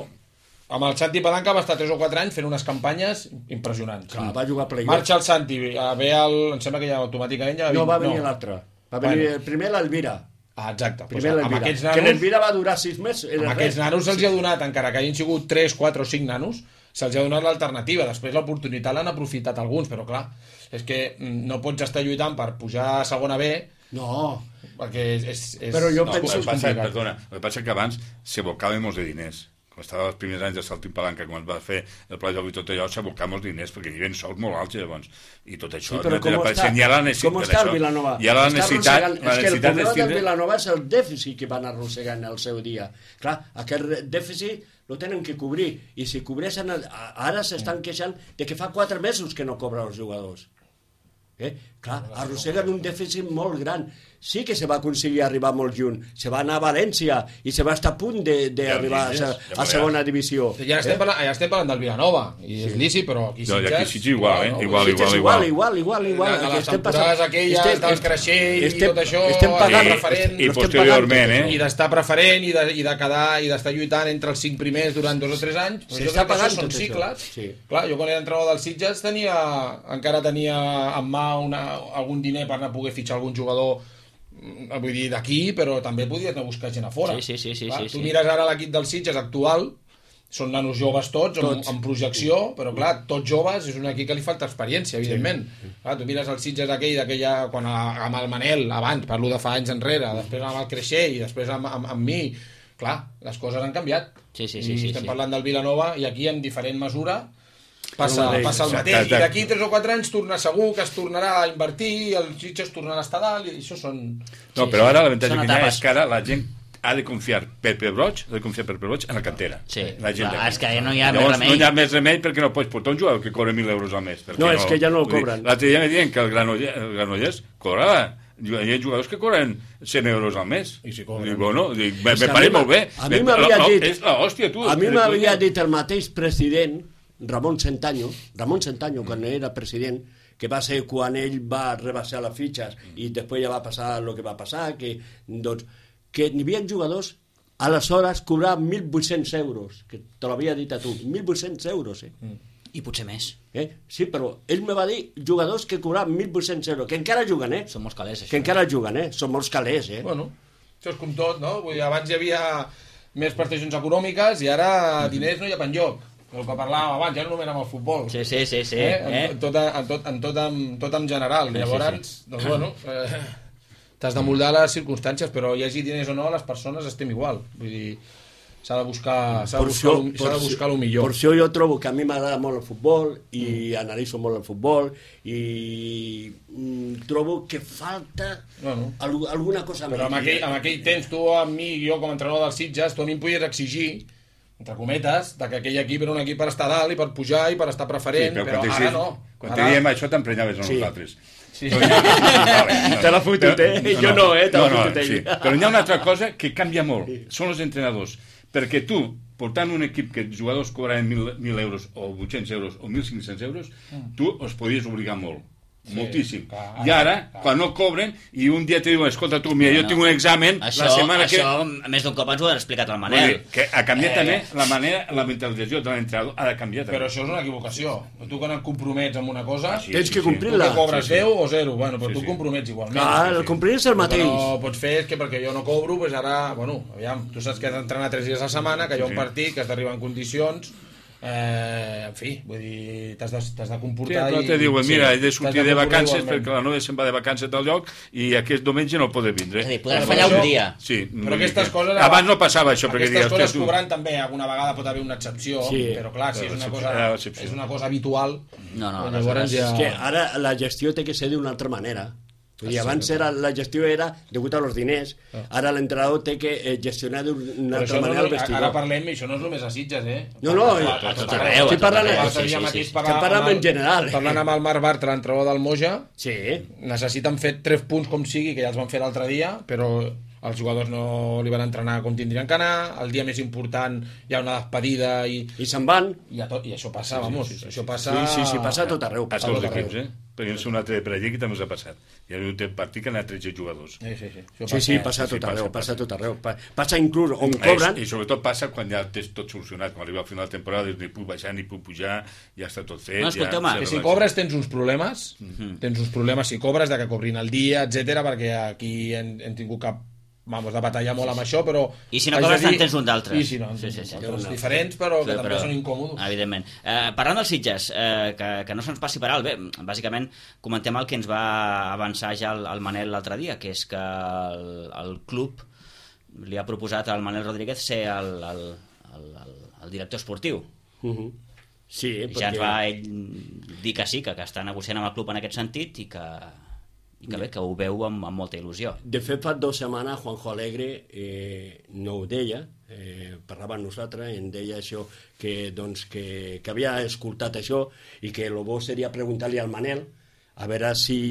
amb el Santi Palanca va estar tres o quatre anys fent unes campanyes impressionants. Clar, va jugar a playoff. Marxa el Santi, a ve el... em sembla que ja automàticament ja No, va venir no. l'altre. Va venir Bueno. el primer l'Elvira. Ah, exacte. Primer Pues, amb l'Elvira. aquests Que nanos, l'Elvira va durar sis mesos. amb aquests nanos se'ls ha donat, encara que hagin sigut tres, quatre o cinc nanos, se'ls ha donat l'alternativa. Després l'oportunitat l'han aprofitat alguns, però clar, és que no pots estar lluitant per pujar a segona B. No. Perquè és... és, és Però jo No, penso- el que passa, perdona, el que passa que abans s'abocava molts de diners. Quan estava els primers anys de Saltín Palanca, quan va fer el pla de joc i tot allò, s'abocava molts diners, perquè hi havia sous molt alts llavors. I tot això... Sí, però no com era està, hi ha la necessitat, com està el Vilanova? Hi ha la Està necessitat, arrossegant- la és que el necessitat problema del tindre... Vilanova és el dèficit que van arrossegant el seu dia. Clar, aquest dèficit lo tenen que cobrir, i si cobreixen... El... Ara s'estan queixant de que fa quatre mesos que no cobren els jugadors. Eh? Clar, arrosseguen un dèficit molt gran. Sí que se va aconseguir arribar molt lluny. Se va anar a València i se va estar a punt d'arribar a, a, a segona divisió. Ja estem, parlant, ja estem parlant del Vilanova, i és lícit, però aquí No, i aquí Sitges... sí, igual, eh? Igual, Sitges igual, igual, igual, igual. De Aquí les estem temporades passant- aquelles estem- del creixell i estem- tot això... estem pagant- i preferent, I estem posteriorment, pagant tot eh? i d'estar preferent i de, i de quedar i d'estar lluitant entre els cinc primers durant dos o tres anys, però Se jo està crec que pagant això són tot això. cicles. Sí. Clar, jo quan era entrenador del Sitges tenia, encara tenia en mà una, algun diner per anar a poder fitxar algun jugador, vull dir, d'aquí, però també podies anar a buscar gent a fora. Sí, sí, sí, sí, clar, sí, tu sí. mires ara l'equip del Sitges actual, són nanos joves tots, amb, Tots. amb projecció, però clar, tots joves, és un equip que li falta experiència, evidentment. Sí. Clar, tu mires el Sitges aquell, d'aquella, quan a, amb el Manel, abans, parlo de fa anys enrere, després amb el Creixell, i després amb, amb, amb mi, clar, les coses han canviat. Sí, sí, sí, I sí, estem sí. parlant del Vilanova, i aquí en diferent mesura passa, El mateix. passa el mateix. Exacte. I d'aquí tres o quatre anys torna segur que es tornarà a invertir, el Sitges tornarà a estar dalt, i això són... No, Sí, però sí. ara l'avantatge Són que hi ha etapes. és que ara la gent ha de confiar per Pebroig, ha de confiar per Pebroig en la cantera. Sí. La gent Clar, d'aquí. és que ja no hi ha més Llavors, remei. no hi ha més remei perquè no pots portar un jugador que cobra mil euros al mes. perquè No, és que ja no el vull dir, cobren. L'altre dia me diuen que el Granollers, el Granollers cobrava. Hi ha jugadors que cobren cent euros al mes. I si cobren. Dic, bueno, dic, me, És me que a pare mi m'ha- molt bé. a mi m'havia No, dit- És l'hòstia, tu. A mi Dic, m'havia coño. dit el mateix president, Ramon Centanyo, Ramon Centanyo, quan era president, que va ser quan ell va rebaixar les fitxes i després ja va passar el que va passar, que, doncs, que n'hi havia jugadors aleshores cobraven mil vuit-cents euros, que te l'havia dit a tu, mil vuit-cents euros, eh? I potser més. eh? Sí, però ell me va dir jugadors que cobraven mil vuit-cents euros, que encara juguen, eh? Són molts calés, això. Que encara juguen, eh? Són molts calés, eh? Bueno, això és com tot, no? Vull dir, abans hi havia més prestacions econòmiques i ara diners no hi ha penjoc. El que parlàvem abans, ja no només amb el futbol. Sí, sí, sí, sí. Eh? Eh? En, tot, en, tot, en, tot, en, tot en general. Sí, Llavors, sí, doncs bueno, eh, t'has de moldar les circumstàncies, però hi hagi diners o no, les persones estem igual. Vull dir, s'ha de buscar, s'ha de Per buscar, això- lo- s'ha de per buscar el això- millor. Per això jo trobo que a mi m'agrada molt el futbol i mm. analitzo molt el futbol i mm, trobo que falta Bueno. al, alguna cosa Però amb més. aquell, amb aquell temps, tu amb mi, jo com a entrenador dels Sitges, tu a mi em podies exigir, entre cometes, de que aquell equip era un equip per estar dalt i per pujar i per estar preferent, Sí, però, quan ara t'hi- no. Quan Ara- te diem això t'emprenyaves a Sí. nosaltres. Sí. Te l'ha fotut, eh? Jo no, eh? Te l'ha no, no, fotut ell. sí. Però hi ha una altra cosa que canvia molt. Són els entrenadors. Perquè tu, portant un equip que els jugadors cobraven mil, mil euros o vuit-cents euros o mil cinc-cents euros, tu els podies obligar molt. Sí, moltíssim. clar, I ara, clar. quan no cobren, i un dia te diuen, escolta tu, mira, Bueno, jo tinc un examen Això, la setmana que... això més d'un cop ens ho ha explicat el Vull Manel. dir, que ha canviat Eh. també la manera, la mentalització de l'entrenador ha de canviar també. Però això és una equivocació. Tu quan et compromets amb una cosa, Ah, sí, Tens sí, que sí. tu complir-la. que cobres Sí, sí. deu o zero, bueno, però Sí, tu sí. compromets igualment. Ah, sí, el sí. complir és el El que mateix. no pots fer és que perquè jo no cobro, doncs ara, bueno, aviam, tu saps que has d'entrenar tres dies a la setmana, que hi ha un Sí. partit, que has d'arribar en condicions, eh, en fi, vull dir, t'has de, t'has de Sí, comportar... però i- te diuen, sí, mira, he de t'has sortir de comportar vacances igualment. perquè la noia se'n va de vacances del lloc i aquest diumenge no pot vindre. És a dir, podràs Però fallar això- un dia. Sí, Però vull dir aquestes que- coses... Abans no passava això, perquè Aquestes dius, coses hòstia, tu... cobrant també, alguna vegada pot haver una excepció, Sí. però clar, si és Però una, l'excepció- cosa, ah, l'excepció. és una cosa habitual, No, no, llavors aleshores- ja... És que ara la gestió té que ser d'una altra manera. Vull dir, abans era, la gestió era degut a los diners, ara l'entrenador té que eh, gestionar d'una Però altra això no, manera el ara vestidor. parlem, i això no és només a Sitges, eh? No, no, a, a, a tot tot arreu. arreu, Estic a tot parlant- arreu, L'altre sí, dia sí, mateix sí. parlàvem Que parlem amb el- en general, eh? Parlant amb el Marc Bartra, l'entrenador del Moja, Sí, necessiten fer tres punts com sigui, que ja els van fer l'altre dia, però els jugadors no li van entrenar com tindrien que anar, el dia més important hi ha una despedida i, i se'n van. i, a tot, i això passa, vamos, això passa... Sí, sí, sí, passa a tot arreu. A Passa tots a els tot arreu. equips, eh? perquè no sé un altre de Perellí que també us ha passat. Hi ha hagut un partit que han anat tretze jugadors. Sí, sí, sí. Sí, sí, passa tot arreu, passa tot arreu. Passa inclús on cobren... I sobretot passa quan ja tens tot solucionat, quan arriba al final de temporada, dius, ni puc baixar, ni puc pujar, ja està tot fet. No, escolteu-me, ja, que si cobres tens uns problemes, mm-hmm. tens uns problemes si cobres, de que cobrin el dia, etcètera, perquè aquí hem, hem tingut cap... Vamos, de batallar molt amb això, però... I si no cobres, dir... tens un d'altres. I si no, sí, sí, sí. altres diferents, però que sí, també però, són incòmodes. Evidentment. Eh, parlant dels Sitges, eh, que, que no se'ns passi per alt, bé, bàsicament comentem el que ens va avançar ja el, el Manel l'altre dia, que és que el, el club li ha proposat al Manel Rodríguez ser el, el, el, el, el director esportiu. Uh-huh. Sí, I perquè... ja ens va ell dir que sí, que, que està negociant amb el club en aquest sentit i que... i que bé, que ho veu amb, amb molta il·lusió. De fet, fa dues setmanes Juanjo Alegre eh, no ho deia, eh, parlava amb nosaltres, em deia això, que, doncs, que, que havia escoltat això i que el bo seria preguntar-li al Manel a veure si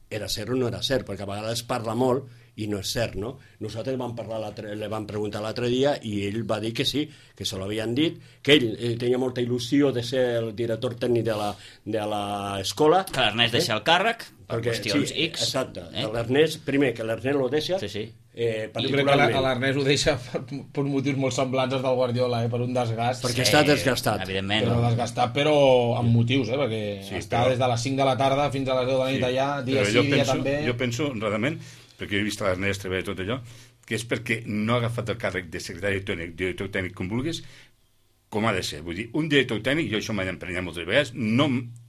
era cert o no era cert, perquè a vegades parla molt i no és cert, no? Nosaltres vam parlar le vam preguntar l'altre dia i ell va dir que sí, que se l'havien dit, que ell eh, tenia molta il·lusió de ser el director tècnic de l'escola. Que l'Ernest eh? deixa el càrrec, per perquè, qüestions sí, X. Exacte, eh? l'Ernest, primer, que l'Ernest lo deixa, sí, sí. Eh, jo crec que l'Ernest ho deixa per, per motius molt semblants als del Guardiola, eh? Per un desgast. Perquè sí, està desgastat. Evidentment. Però desgastat, però amb motius, eh? Perquè sí, està però... des de les cinc de la tarda fins a les deu de la nit sí, allà, dia sí, dia penso, també. Jo penso, realment, perquè he vist l'Ernest treballar tot allò, que és perquè no ha agafat el càrrec de secretari tècnic, director tècnic, com vulguis, com ha de ser. Vull dir, un director tècnic, jo això m'he d'emprenyar moltes vegades, no,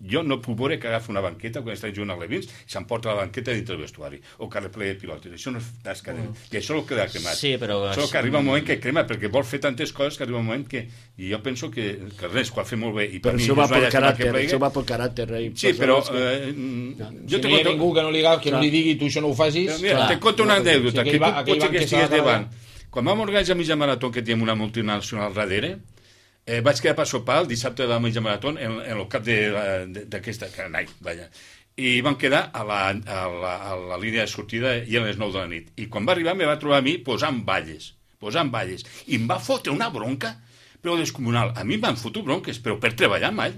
jo no puc veure que agafa una banqueta quan està jugant a Levins i s'emporta la banqueta dintre del vestuari, o que replaya pilotes. Això no és tasca de... Mm. I això és el que ha cremat. Sí, però... Això que arriba un moment que crema, perquè vol fer tantes coses que arriba un moment que... I jo penso que, que res, ho ha fet molt bé. I per però mi, això va pel caràcter, plega... això va pel caràcter. Eh? Sí, però... Eh, no. Jo si no hi ha conto... ningú que no li, que no li digui tu això no ho facis... Però mira, te conto una anècdota, que tu potser que estigues davant. Quan vam organitzar mitja marató, que teníem una multinacional darrere, Eh, vaig quedar per sopar el dissabte de la mitja marató en, en el cap d'aquesta canai, vaja. I vam quedar a la, a, la, a la línia de sortida i a les nou de la nit. I quan va arribar me va trobar a mi posant balles, posant balles. I em va fotre una bronca, però descomunal. A mi em van fotre bronques, però per treballar mai.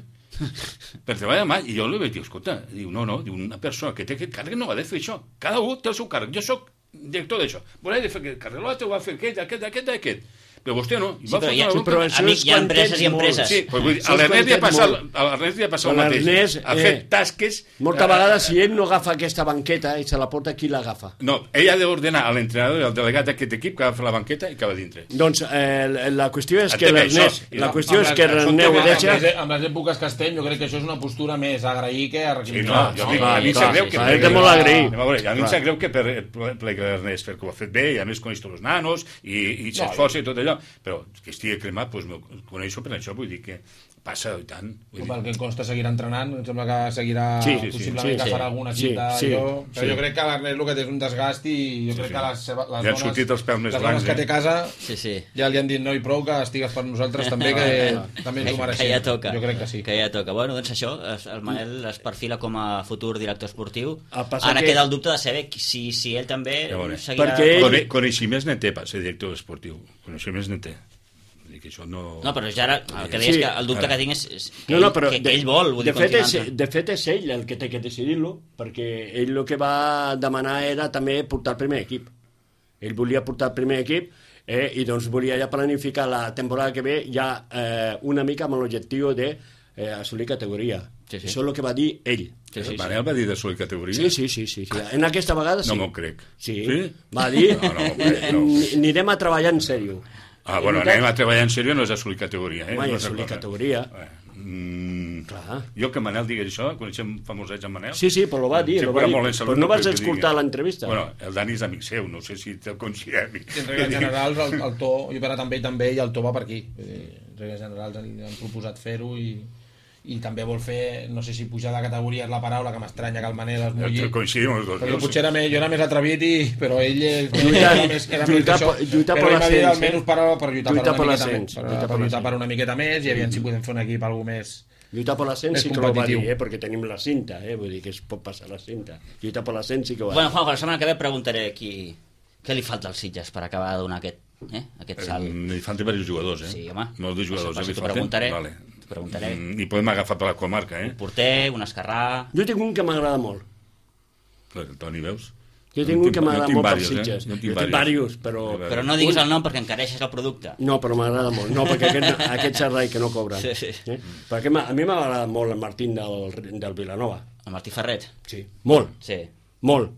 per treballar mai. I jo li vaig dir, escolta, diu, no, no, diu, una persona que té aquest càrrec no ha de fer això. Cada un té el seu càrrec. Jo sóc director d'això. Voleu de fer aquest càrrec, l'altre ho va fer aquest, aquest, aquest, aquest. Però vostè no. Sí, però hi ha, però amic, hi ha empreses i empreses. Sí, però vull dir, a l'Ernest li ha passat, a l'Ernest li ha passat el mateix. Ha fet tasques... Molta vegada, si ell no agafa aquesta banqueta i se la porta, qui l'agafa? No, ell ha d'ordenar a l'entrenador i al delegat d'aquest equip que agafa la banqueta i que va dintre. Doncs eh, la qüestió és que l'Ernest... La qüestió és que l'Ernest ho deixa... Amb les èpoques que estem, jo crec que això és una postura més agrair que a recriminar. Sí, no, jo dic, a mi em sap greu que... És de molt agrair. A mi em sap greu que per l'Ernest, perquè ho ha fet bé, i a més coneix tots els nanos, i s'esforça i tot allò, però que estigui cremat, doncs coneixo per això, vull dir que passa i tant. Vull dir... Pel que em consta seguirà entrenant, em sembla que seguirà sí, possiblement sí, que sí, farà alguna cita sí, sí, jo, però sí. Jo crec que l'Ernest el que té és un desgast i jo sí, crec sí. que les, seva, les ja dones, sortit els pèls més les blancs, dones que té a casa sí, sí. ja li han dit no i prou que estigues per nosaltres també, que no, no. també ens ho mereixem. Que ja toca. Jo crec que sí. Que ja toca. Bueno, doncs això, el Manel es perfila com a futur director esportiu. Ara que... queda el dubte de saber si, si ell també ja seguirà... Perquè ell... Coneixements ne té per ser director esportiu. Coneixements ne té. Que això no... no, però ja ara, el que deies sí, que el dubte ara. que tinc és, és que, no, no, però ell, que, de, que ell vol, vull de, dir, fet és, de fet és ell el que té que decidir-lo, perquè ell el que va demanar era també portar el primer equip. Ell volia portar el primer equip eh, i doncs volia ja planificar la temporada que ve ja eh, una mica amb l'objectiu de eh, assolir categoria. Sí, sí. Això és el que va dir ell. Sí, sí, Manel sí. va dir d'assolir categoria? Sí, sí, sí, sí, sí. En aquesta vegada sí. No m'ho crec. Sí, sí? va dir no, no crec, no. anirem a treballar en sèrio. Ah, bueno, anem a treballar en sèrio no és assolir categoria. Eh? Home, no assolir categoria. Eh, mm, Clar. Jo que Manel digués això, coneixem famosets en Manel. Sí, sí, però ho va dir. Lo va dir. Però no vas escoltar l'entrevista. Bueno, el Dani és amic seu, no sé si te'l considera amic. En regles generals, el, el to, jo he parlat amb ell també i el to va per aquí. En regles generals han, han proposat fer-ho i... i també vol fer, no sé si pujar de categoria és la paraula, que m'estranya que el Manel es mulli, coincidim els dos, però jo potser era més, jo era més atrevit i, però ell lluitar, era més, era lluitar, més lluitar per l'ascens, almenys per, per lluitar, lluitar per, per, una l'ascens, per, per, per lluitar per una miqueta més i aviam si podem fer un equip algú més lluitar per l'ascens sí que ho va dir, eh, perquè tenim la cinta, eh, vull dir que es pot passar la cinta, lluitar per l'ascens sí que ho va dir. Bueno, Juanjo, la setmana que ve preguntaré qui, què li falta als Sitges per acabar de donar aquest, eh, aquest salt. Eh, li falten diversos jugadors, eh? Sí, home. Molts de jugadors. Això, eh, t'ho preguntaré. Vale. preguntaré. Mm, I podem agafar per la comarca, eh? Un porter, un esquerrà... Jo tinc un que m'agrada molt. El Toni, veus? Jo tinc un que m'agrada molt per Sitges. Jo tinc diversos, però... Però no diguis el nom perquè encareixes el producte. No, però m'agrada molt. No, perquè aquest, aquest servei que no cobren. Sí, sí. Eh? Perquè a mi m'agrada molt el Martín del, del Vilanova. El Martí Ferret? Sí. Molt. Sí. Molt.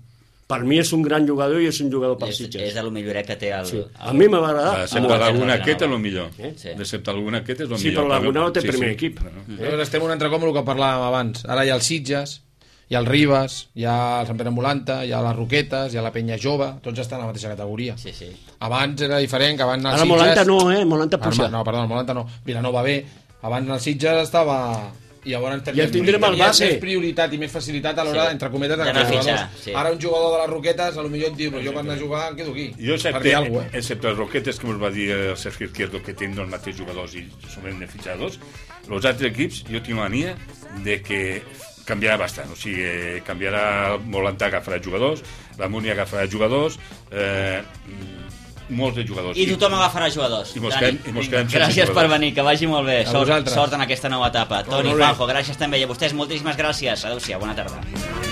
Per mi és un gran jugador i és un jugador per És, Sitges. és de lo milloret que té el... Sí. el... A mi m'ha agradat. Excepte l'alguna aquest és el millor. Eh? Sí. Excepte l'alguna aquest és el Sí, millor. però l'Argonau té Sí, primer sí. equip. No. Nosaltres estem un altre com el que parlàvem abans. Ara hi ha el Sitges, hi ha el Ribes, hi ha el Sant Pere Molanta, hi ha les Roquetes, hi ha la Penya Jove, tots estan a la mateixa categoria. Sí, sí. Abans era diferent, que abans el Ara Sitges... Molanta no, eh? Molanta puja. No, perdó, el Molanta no. Vilanova B. Abans el Sitges estava... I llavors Ja tindrem el base. més prioritat i més facilitat a l'hora, Sí. entre cometes, de D'anar a agafar fitxar, jugadors. sí. Ara un jugador de les Roquetes, a lo millor et diu, però jo per anar a jugar em quedo aquí. Jo, Per excepte, dir alguna cosa, eh? excepte els Roquetes, que ens va dir el Sergio Izquierdo, que tenen els mateixos jugadors i són beneficiados, els altres equips, jo tinc la mania de que canviarà bastant, o sigui, canviarà, Molantà agafarà jugadors, la Múnia agafarà jugadors, eh, molts de jugadors. I tothom agafarà jugadors. I mos Dani, quedem- i mos quedem sense gràcies per jugadors. venir, que vagi molt bé. A Sort, vosaltres. sort en aquesta nova etapa. Toni, molt bé. Juanjo, gràcies també. I a vostès moltíssimes gràcies. Adéu-siau, bona tarda.